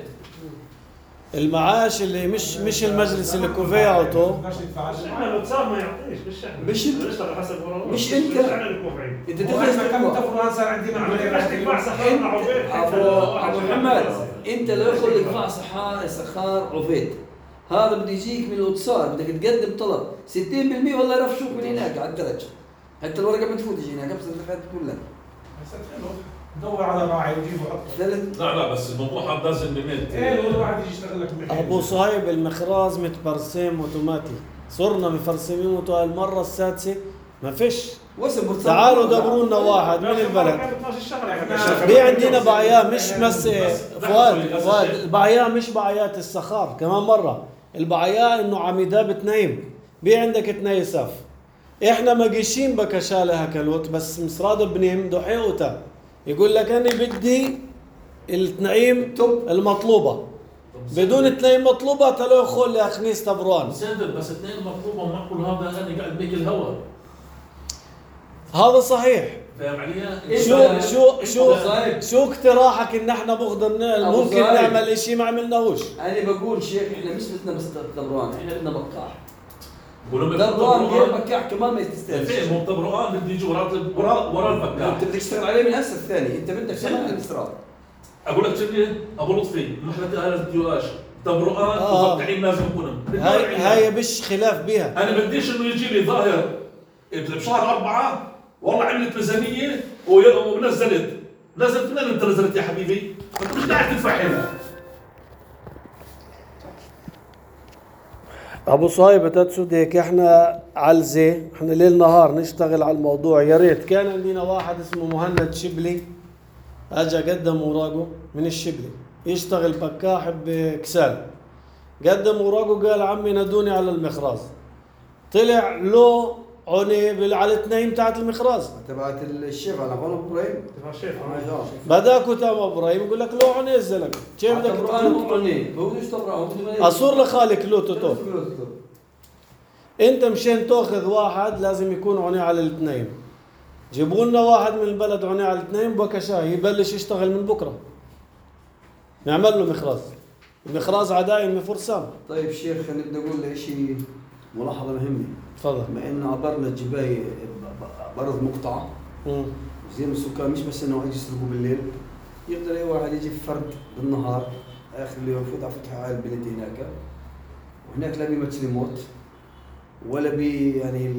المعاش اللي مش مش المجلس اللي كوفي يعطوا. بدناش ندفع عشان- احنا لو صار ما يعطيش مش احنا مش انت. نشتغل حسب وراه. مش انت. احنا اللي كوفعين. انت واحنا تفهم كم تفرعات صار عندنا عمليه بدك تدفع سخار مع عبيد حتى ابو لو ابو واحد محمد شغال. انت لو يدخل لك دفاع سحار سخار عبيد هذا بده يجيك من الاتصال بدك تقدم طلب ستين بالمية والله يرفشوك من هناك على الدرج حتى الورقه ما تفوت هناك بس الدفعات كلها دور على راعي وجيبه اكثر. ثلاث لا لا بس الموضوع هذا لازم بميت. ايه لو واحد يجي يشتغل لك بمحل. ابو صهيب المخراز متبرسم اوتوماتي، صرنا مفرسمين اوتو المره السادسه ما فيش. وسم برسم تعالوا دبروا لنا واحد من البلد. كانت اثناشر شهر إحنا- في عندنا بعيا مش بس فؤاد فؤاد البعيا مش بعيات السخار كمان مره، البعيا انه عميدة بتنايم بي عندك تنايساف. احنا ما قيشين بكشاله هكلوت بس مصراد بنيم دحيوتا يقول لك انا بدي التنعيم المطلوبه بدون التنعيم مطلوبه تلو يخول يا خنيس تبروان. سادر بس اثنين مطلوبه ومعقول هذا انا قاعد بيك الهواء. هذا صحيح. فاهم علي؟ شو شو شو صايب. شو اقتراحك ان احنا بغض أبو ممكن صايب. نعمل اشي ما عملناهوش؟ انا بقول شيخ احنا مش بدنا بس دبران احنا بدنا بقاح ولو دبران غير بكاح كمان ما يستاهل فين مو طبرقان بده يجي ورا ورا ورا البكاح. انت بدك تشتغل عليه من هسه الثاني انت بدك كمان الاستراد اقول لك شغله ابو لطفي محلة اهل الديواش طبرقان آه. وفتحين لازم يكونوا. هاي هاي مش خلاف بها. انا بديش انه يجي لي ظاهر بشهر أربعة والله عملت ميزانية ونزلت نزلت من انت نزلت يا حبيبي؟ انت مش قاعد تدفع هنا. ابو صايب تتسود هيك احنا علزه احنا ليل نهار نشتغل على الموضوع. يا ريت كان عندنا واحد اسمه مهند شبلي اجى قدم اوراقه من الشبلي يشتغل بكاح بكسال، قدم اوراقه قال عمي نادوني على المخراز، طلع له عني على التنايم تاعت المخراز تبعت الشيخ على قول ابو ابراهيم تبع شيخ بداكو تام ابراهيم يقول لك له عني الزلمه كيف بدك دبران مو عني هو مش دبران اصور لخالك له توتو انت مشان تاخذ واحد لازم يكون عوني على الاثنين. جيبوا لنا واحد من البلد عوني على الاثنين بكشاه يبلش يشتغل من بكره. نعمل له مخراز. المخراز عداين من فرسان. طيب شيخ نبدا نقول شيء ملاحظه مهمه. تفضل. بما انه عبرنا الجباي برض مقطعه امم زين السكان مش بس انه يجي يسرقوا بالليل، يقدر اي واحد يجي فرد بالنهار اخر اليوم يفوت على فتحه على البلد هناك، وهناك لا بيمثل موت ولا بي يعني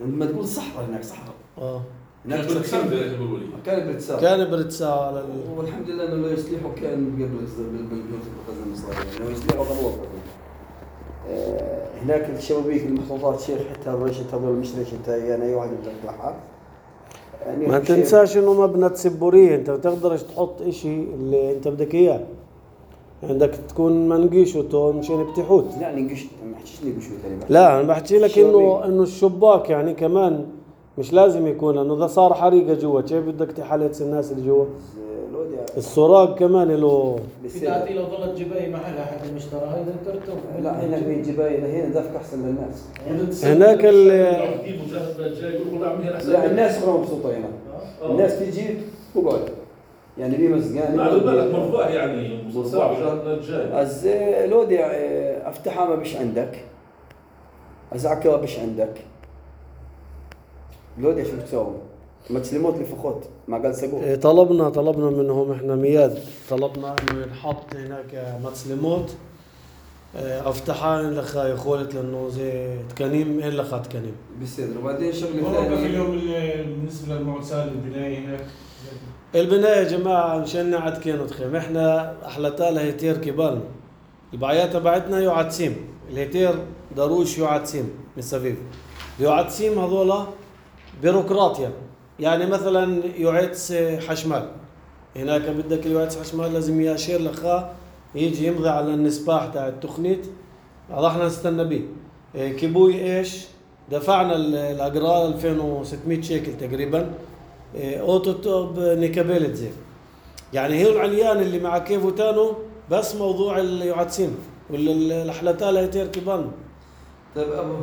لما تقول صحراء هناك صحراء. اه هناك كان بتسال بيقولوا لي كان برتسال كان برتسال على ال... والحمد لله انه لا يصلحوا كان قبل بالغزو المصري انه يصلحوا قبل آه هناك الشبابيك المحطوطات شيخ حتى الريشه هذول مش ريشه يعني اي واحد يقدر يطلعها. يعني ما تنساش انه مبنى سبوريه، انت ما تقدرش تحط اشي اللي انت بدك اياه. عندك تكون منقيش وتو مشان بتحوت. لا ننقش ما حكيش ننقش ثاني. لا انا بحكي لك انه انه الشباك يعني كمان مش لازم يكون، لانه اذا صار حريقه جوا كيف بدك تحلت الناس اللي جوا؟ السراج كمان له إذا لو ظلت جباي محلها حد المشترى هذا ترتفع. لا هنا في جباي هنا دافك احسن للناس. هناك ال لا الناس كلهم مبسوطه هنا. الناس تيجي تقعد يعني في مسجان لا البلد مرفوع يعني صعب الجاي. از لودي افتحها ما بش عندك، ازعكها بش عندك لودي شو بتسوي؟ ما تسلموت لفخوت ما قال سقوط. طلبنا طلبنا منهم احنا مياد طلبنا انه ينحط هناك متسلموت افتحان لخا يخولت لانه زي تكنيم إيه لخا تكنيم بيصير. وبعدين شغله والله ثانيه اليوم بالنسبه للمعسال البنايه هناك البنايه يا جماعه مشان عاد كانوا تخيم احنا احلتها لهيتير كبالنا البعيات تبعتنا يعدسيم الهيتير داروش يعدسيم من سفيف يعدسيم هذولا بيروقراطيا يعني مثلا يعدس حشمال هناك بدك يعدس حشمال لازم ياشير لخا يجي يمضي على النسباح تاع التخنيت هذا احنا نستنى به كيبوي ايش دفعنا الاجرار ألفين وستمية شيكل تقريبا اوتو توب نيكابيلت زي يعني هي العليان اللي مع كيفو تانو بس موضوع اليعدسين والحلتال هيتير كيبان. طيب ابو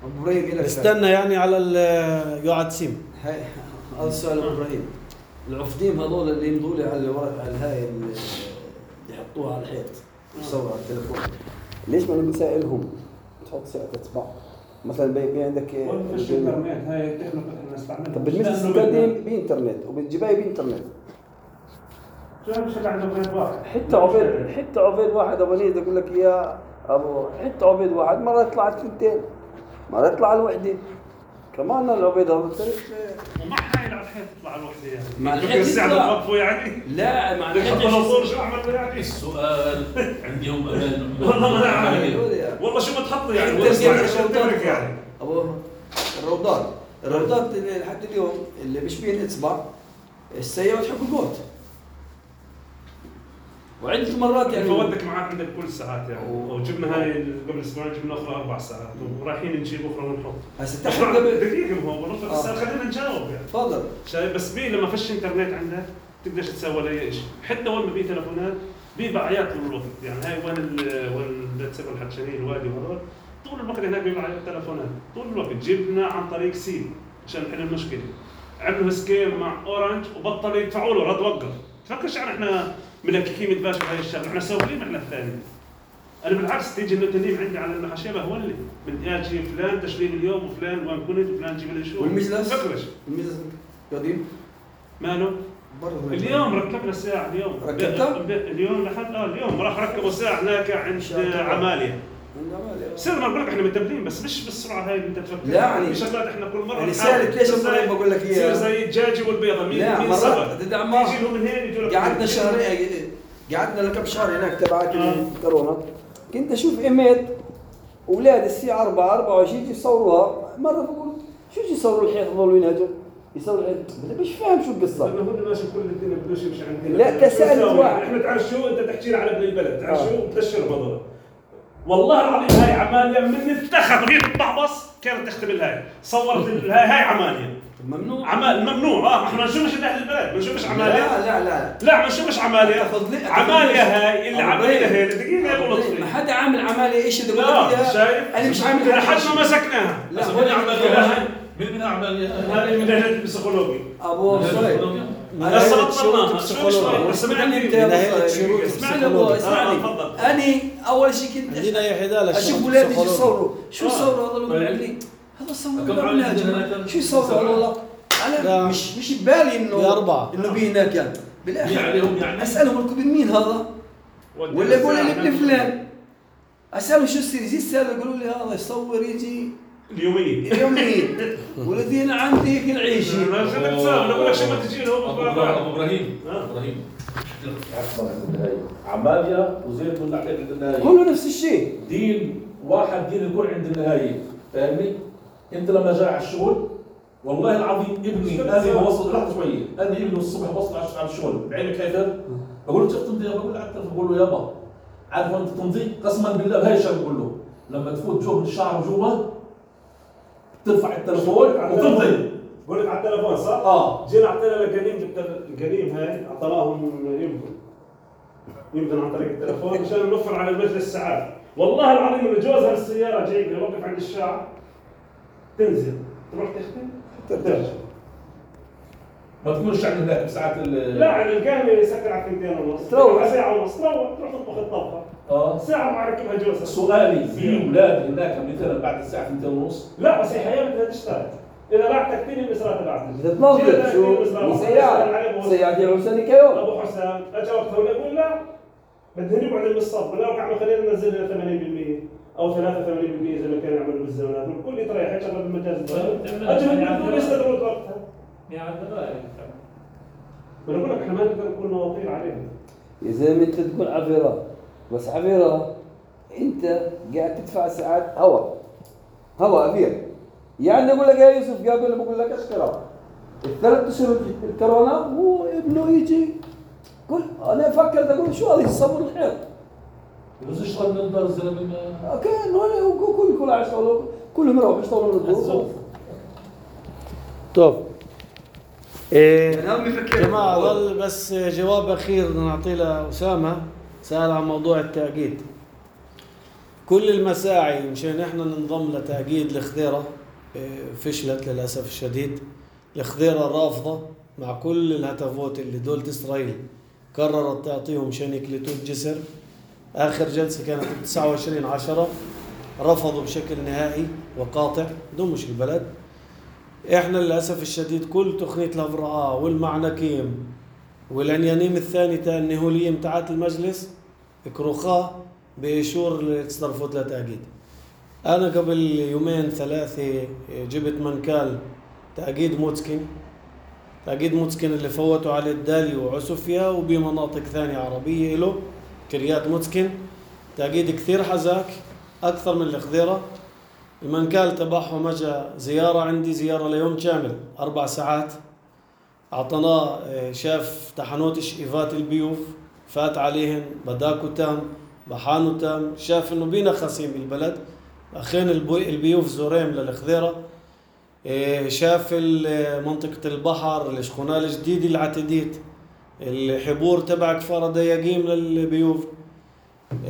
ابو ابراهيم استنى يعني على اليعدسين. هاي هذا السؤال ابو ابراهيم العفديم هذول اللي يمضوا لي على الورق على الهاي اللي يحطوها على الحيط يصوروا على التليفون ليش ما نسائلهم تحط سعه تتبع مثلا بي عندك فيش انترنت هاي التكنولوجيا احنا نستعملها. طب بالنسبه للتقديم بانترنت وبالجباي بانترنت شو مش اللي عنده بيت واحد حتى عبيد حتى عبيد واحد ابو نيد اقول لك يا ابو حتى عبيد واحد مره يطلع اثنتين مره يطلع الوحده كمان العبيد هذا ومع هاي على الحيط تطلع الوحده يعني مع فكر الحيط الساعه يطلع. توقفوا يعني لا مع بدك الحيط تحط شو اعمل يعني السؤال عندي هم امان والله ما نعرف والله شو بتحط يعني انت والله بتعرف شو بتعمل يعني ابو الروضات الروضات لحد اليوم اللي مش بين اصبع السيارة تحب الجوت وعدة مرات يعني فودك معك عندك كل ساعات يعني وجبنا هاي قبل اسبوعين جبنا اخرى اربع ساعات ورايحين نجيب اخرى ونحط هسه بس تحت قبل دقيقة هو والله بس خلينا نجاوب يعني تفضل شايف بس بي لما فيش انترنت عندك تقدرش تسوي ولا اي شيء حتى وين ما بي تليفونات بي بعيات طول الوقت يعني هاي وين ال وين بتسبب الحكشانين الوادي وهذول طول الوقت هناك بيبقى على التليفونات طول الوقت جبنا عن طريق سيم عشان نحل المشكله عملوا سكيم مع اورنج وبطلوا يدفعوا له رد وقف تفكرش يعني احنا ملككين متباشر هاي الشغله احنا سويين احنا الثاني انا بالعكس تيجي النتنيم عندي على المحاشيه هو اللي بدي اجي فلان تشريب اليوم وفلان وين كنت وفلان جيب لي شو والمجلس فكرش المجلس قديم ماله اليوم ركبنا ساعة اليوم ركبتها؟ اليوم لحد اه اليوم راح ركبوا ساعة هناك عند عمالية سير ما بقول لك احنا متبلين بس مش بالسرعة هاي اللي انت تفكر لا يعني في شغلات احنا كل مرة يعني سالت ليش ابراهيم بقول لك اياها زي الدجاجة والبيضة مين لا مين مرات سبب تدعم يجي له من هين يجوا لك قعدنا شهرين قعدنا لكم شهر هناك تبعت الكورونا كنت اشوف ايميل اولاد الساعة أربعة أربعة وعشرين يجي يصوروها مرة بقول شو يجي يصوروا الحيط يضلوا ينهجوا يصور مش فاهم شو القصه لانه هو ماشي كل الدنيا بدوش يمشي عندنا لا تسالت واحد احنا تعرف شو انت تحكي لي على ابن البلد تعرف شو بتشر بضل والله العظيم هاي عمالية من اتخذ هي بتبعبص كانت تختبل هاي صورت ال- هاي هاي عمالية ممنوع. عمال ممنوع اه احنا ما نشوفش اهل البلد ما نشوفش عمالية لا لا لا لا ما نشوفش عمالية تفضلي- عمالية هاي اللي أبو عمالية إبراهيم. هي دقيقة يا ابو ما لطفي حدا عامل عمالة ايش بدي اقول لا لك إياها. شايف انا مش عامل لحد هذا ما مسكناها لا بس هو من عملية هاي من عملية هذه من ناحية البسيكولوجي ابو صهيب من هسه ناحية بطلناها شروط شو البسيكولوجيا. شوي اسمعني انت يا من ناحية أبو شروط صهيب. اسمعني ابو البسيكولوجيا. اسمعني آه، تفضل. اني اول شيء كنت عندنا يا حدال اشوف اولادي يجي البسيكولوجيا. يصوروا شو آه. يصوروا هذول طيب. المعلمين هذا صور كم ولا عمل يا جماعة؟ عندنا؟ شو يصوروا والله لا. انا مش مش ببالي انه بأربعة. انه بي هناك يعني مين بالاخر عليهم يعني؟ اسالهم لكم مين هذا ولا يقول لي ابن فلان اساله شو السير يجي السالة يقولوا لي هذا يصور يجي اليومية اليومين والذين عندي هيك العيشه ما خليك تساوي انا بقول لك شو ما تجي له ابو إبراهيم- أبو ابراهيم آه. ابراهيم عفوا عندنا هاي عمالية وزيد من ناحية عندنا هاي كله نفس الشيء دين واحد دين يكون عند النهاية فاهمني؟ انت لما جاي على الشغل والله العظيم ابني انا بوصل لحظه شويه انا ابني الصبح بوصل على الشغل بعينك كيف؟ بقول له كيف تمضي؟ بقول له على التليفون بقول له يابا عارف انت تمضي؟ قسما بالله بهاي الشغله بقول له لما تفوت جوا من الشعر جوا ترفع التليفون وتمضي بقول لك على التليفون صح؟ اه جينا اعطينا لقنيم القنيم هاي اعطيناهم يمكن يمكن عن طريق التليفون مشان نوفر على المجلس ساعات والله العظيم اللي جوزها السياره جاي يوقف عند الشارع تنزل تروح تختم ترجع ما تكونش عند هناك بساعات ال لا يعني القهوه يسكر على ثنتين ونص تروح. على ساعه ونص تروح تروح تطبخ الطبخه اه ساعه مع ركبها جوزها سؤالي في اولاد هناك مثلا بعد الساعه اثنين ونص لا بس هي حياه بدها تشتغل اذا بعتك تكتيني المسرات تبعتك بتتنظف شو سيارة سيارة يا حسين كيوم ابو حسام اجى وقتها ولا يقول لا بدنا نقعد بالصف ولا وقع خلينا ننزل لنا ثمانين بالمئة او ثلاثة وثمانين بالمئة زي ما كانوا يعملوا بالزمانات والكل يتريح يشغل بالمجاز اجى بدهم يستدروا وقتها انا بقول لك احنا ما نقدر نكون مواطير عليهم يا زلمه انت تقول عفيرة بس عفيرة انت قاعد تدفع ساعات هوا هوا ابير يعني اقول لك يا يوسف قابل بقول لك اشكره الثلاث اشهر الكورونا هو ابنه يجي قل انا فكرت اقول شو هذا يصور الحيط بس اشتغل من الدار الزلمه ما كان هو كل كل عايش يشتغلوا كلهم يروحوا يشتغلوا من الدور طب إيه يعني هم يفكروا. جماعة ظل بس جواب أخير نعطيه لأسامة سأل عن موضوع التأكيد. كل المساعي مشان احنا ننضم لتأكيد الخضيرة إيه، فشلت للأسف الشديد. الخضيرة رافضة مع كل الهتافات اللي دولة إسرائيل قررت تعطيهم مشان يكلتوا الجسر. آخر جلسة كانت تسعة وعشرين عشرة رفضوا بشكل نهائي وقاطع دمش البلد. احنا للاسف الشديد كل تقنيه الهفراء والمعنكيم والعنيانيم الثاني تاع النهوليم تاعت المجلس كروخاه بإشور التصرفات لتأكيد. انا قبل يومين ثلاثه جبت منكال تأكيد موتسكين تأكيد موتسكين اللي فوتوا على الدالي وعسوفيا وبمناطق ثانيه عربيه له كريات موتسكين تأكيد كثير حزاك اكثر من الخضيره. المنكال تبعهم اجى زيارة عندي زيارة ليوم كامل أربع ساعات أعطناه شاف تحنوت شئيفات البيوف فات عليهن بداكو تام بحانو تام شاف إنه بينا خصيم البلد أخين البيوف زوريم للخضيرة شاف منطقة البحر الشخونة الجديدة العتديت الحبور تبع كفار دياقيم للبيوف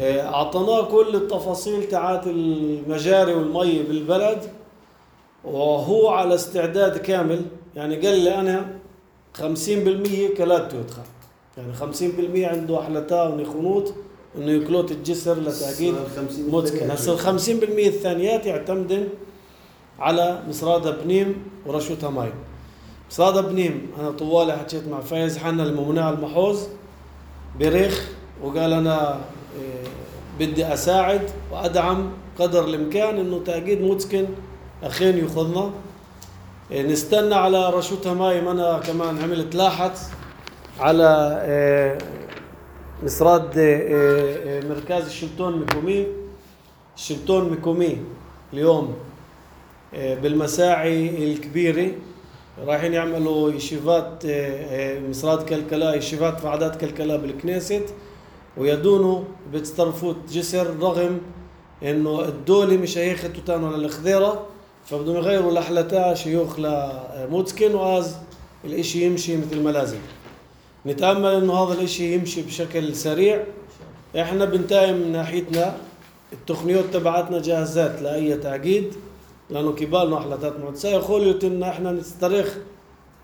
أعطناه كل التفاصيل تاعت المجاري والمي بالبلد وهو على استعداد كامل. يعني قال لي أنا خمسين بالمية كلات يدخل يعني خمسين بالمية عنده أحلتا ونخنوط إنه يكلوت الجسر لتأكيد متكن. هسه الخمسين بالمية الثانيات يعتمدن على مصرادة بنيم ورشوتها ماي. مصرادة بنيم أنا طوالي حكيت مع فايز حنا الممنوع على المحوز بريخ وقال أنا بدي أساعد وأدعم قدر الإمكان إنه تأكيد متسكن أخين يخذنا. نستنى على رشوتها ماي. أنا كمان عملت لاحت على مصراد مركز الشلتون مكومي. الشلتون مكومي اليوم بالمساعي الكبيرة رايحين يعملوا يشيفات مصراد كلكلا يشيفات وعدات كلكلا بالكنيست ويدونوا بتصرفوا جسر رغم إنه الدولي مش هياخد توتان ولا الخضيرة، فبدهم يغيروا لحلتها شيوخ لموتسكن، وهذا الاشي يمشي مثل ما لازم. نتأمل إنه هذا الاشي يمشي بشكل سريع. إحنا بنتايم من ناحيتنا التقنيات تبعتنا جاهزات لأي تعقيد، لأنه كبالنا أحلتات معدسة يقولوا إننا إحنا نسترخ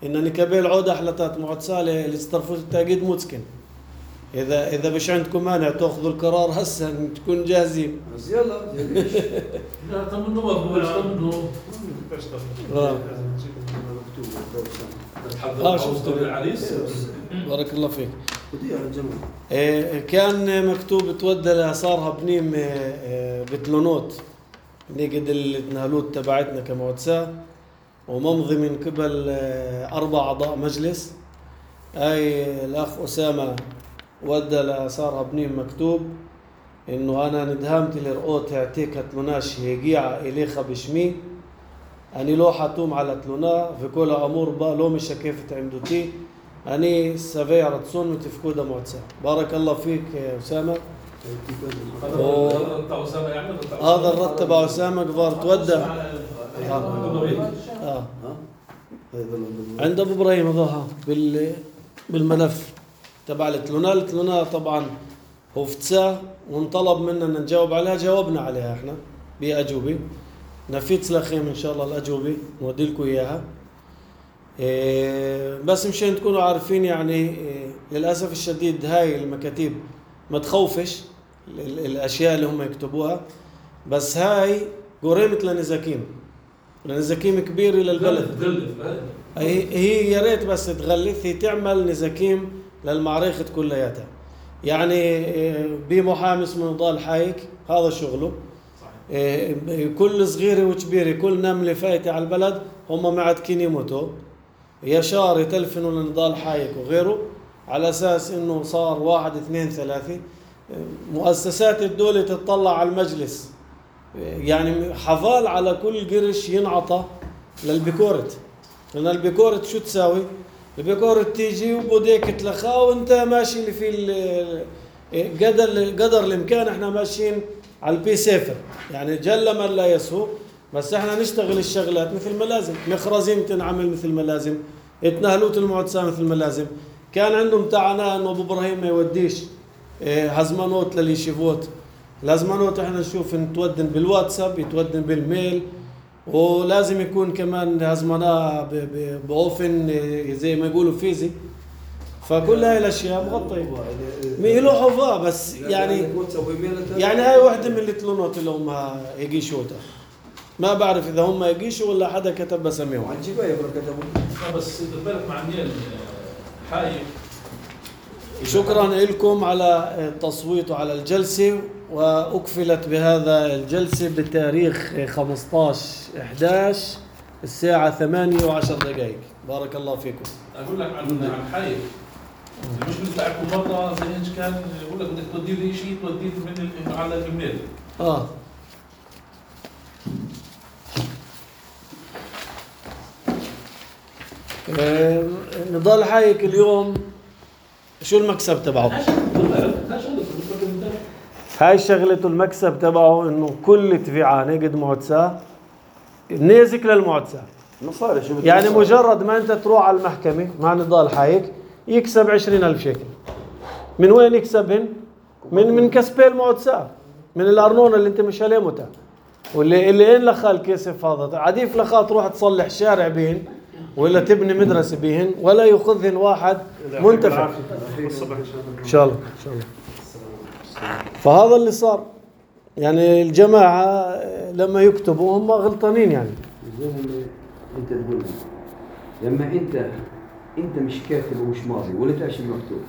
إن نكبل عودة أحلتات معدسة لاسترفوت التعقيد موتسكن. إذا إذا مش عندكم مانع تأخذوا القرار هسه إن تكون جاهزين. بس يلا لا طمنوا بقول طمنوا. آه. آه شفت العريس. بارك الله فيك. ودي على الجمال. إيه كان مكتوب تودى لصارها بنيم إيه بتلونوت نجد التنهلوت تبعتنا كمعدسة، وممضي من قبل إيه أربع أعضاء مجلس. أي الأخ أسامة ودى لصارها بنيم مكتوب إنه أنا ندهمت لرؤوت اعتيكت لناش هيجيعة إليخا بشمي أني لو حتوم على تلونا في كل أمور با لو مش كيف عمدتي أني سافي رتسون متفكودة معدسة. بارك الله فيك يا أسامة. هذا الرد تبع أسامة كبار تودى آه. عند أبو إبراهيم ظهر بال بالملف تبع التلونا. التلونا طبعا هو فتساه ونطلب منا نجاوب عليها، جاوبنا عليها احنا بأجوبة. نفيت سلاخيم إن شاء الله الأجوبة نودي لكم إياها. إيه بس مشان تكونوا عارفين يعني إيه للأسف الشديد هاي المكاتيب ما تخوفش الأشياء اللي هم يكتبوها، بس هاي جريمة لنزاكيم، لنزاكيم كبيرة للبلد. هي هي يا ريت بس تغلث، هي تعمل نزاكيم للمعركة كلياتها. يعني إيه بمحامي اسمه نضال حايك هذا شغله. إيه كل صغيرة وكبيرة كل نملة فايتة على البلد هم معتكين يموتوا، يشار يتلفنوا لنضال حايك وغيره على أساس إنه صار واحد اثنين ثلاثة. مؤسسات الدولة تطلع على المجلس، يعني حفال على كل قرش ينعطى للبيكورت، لأن البيكورت شو تساوي؟ البيكورت تيجي وبوديك تلخاه وانت ماشي اللي في قدر قدر الإمكان. احنا ماشيين على البي سيفر، يعني جل من لا يسهو، بس احنا نشتغل الشغلات مثل ما لازم. مخرزين تنعمل مثل ما لازم، اتنهلوت المعدسة مثل ما لازم. كان عندهم تعناه انه ابو ابراهيم ما يوديش هزمانوت لليشيفوت. الهزمانوت احنا نشوف نتودن بالواتساب، يتودن بالميل، ولازم يكون كمان هزمناه باوفن زي ما يقولوا فيزي. فكل هاي الاشياء مغطيه ميلو حفاه بس يعني يعني هاي واحده من التلونات اللي هم يقيشوها. ما بعرف اذا هم يقيشوا ولا حدا كتب بسميهم عن جبايه كتبوا. بس بالك مع مين حايك. شكرا لكم على التصويت على الجلسه، واكفلت بهذا الجلسه بتاريخ خمسة عشر إحدى عشر الساعه ثمانية وعشر دقائق. بارك الله فيكم. اقول لك عن عن حايك المشكله تاعكم مره زي ايش كان يقول لك بدك تودي لي شيء توديه من على الايميل. اه نضال حايك اليوم شو المكسب تبعه؟ هاي شغلته المكسب تبعه انه كل تبيعه نجد معدسة نازك للمعدسة مصاري شو يعني مجرد ما انت تروح على المحكمة مع نضال حايك يكسب عشرين ألف شيكل. من وين يكسبهن؟ من من كسبي المعدسة، من الأرنونة اللي انت مش عليه متى، واللي اللي ان لخا الكسف هذا عديف لخا تروح تصلح شارع بهن ولا تبني مدرسة بهن ولا يأخذهن واحد منتفع. إن شاء الله إن شاء الله. فهذا اللي صار، يعني الجماعة لما يكتبوا هم غلطانين. يعني زي ما انت تقول لما انت انت مش كاتب ومش ماضي ولا تعرف المكتوب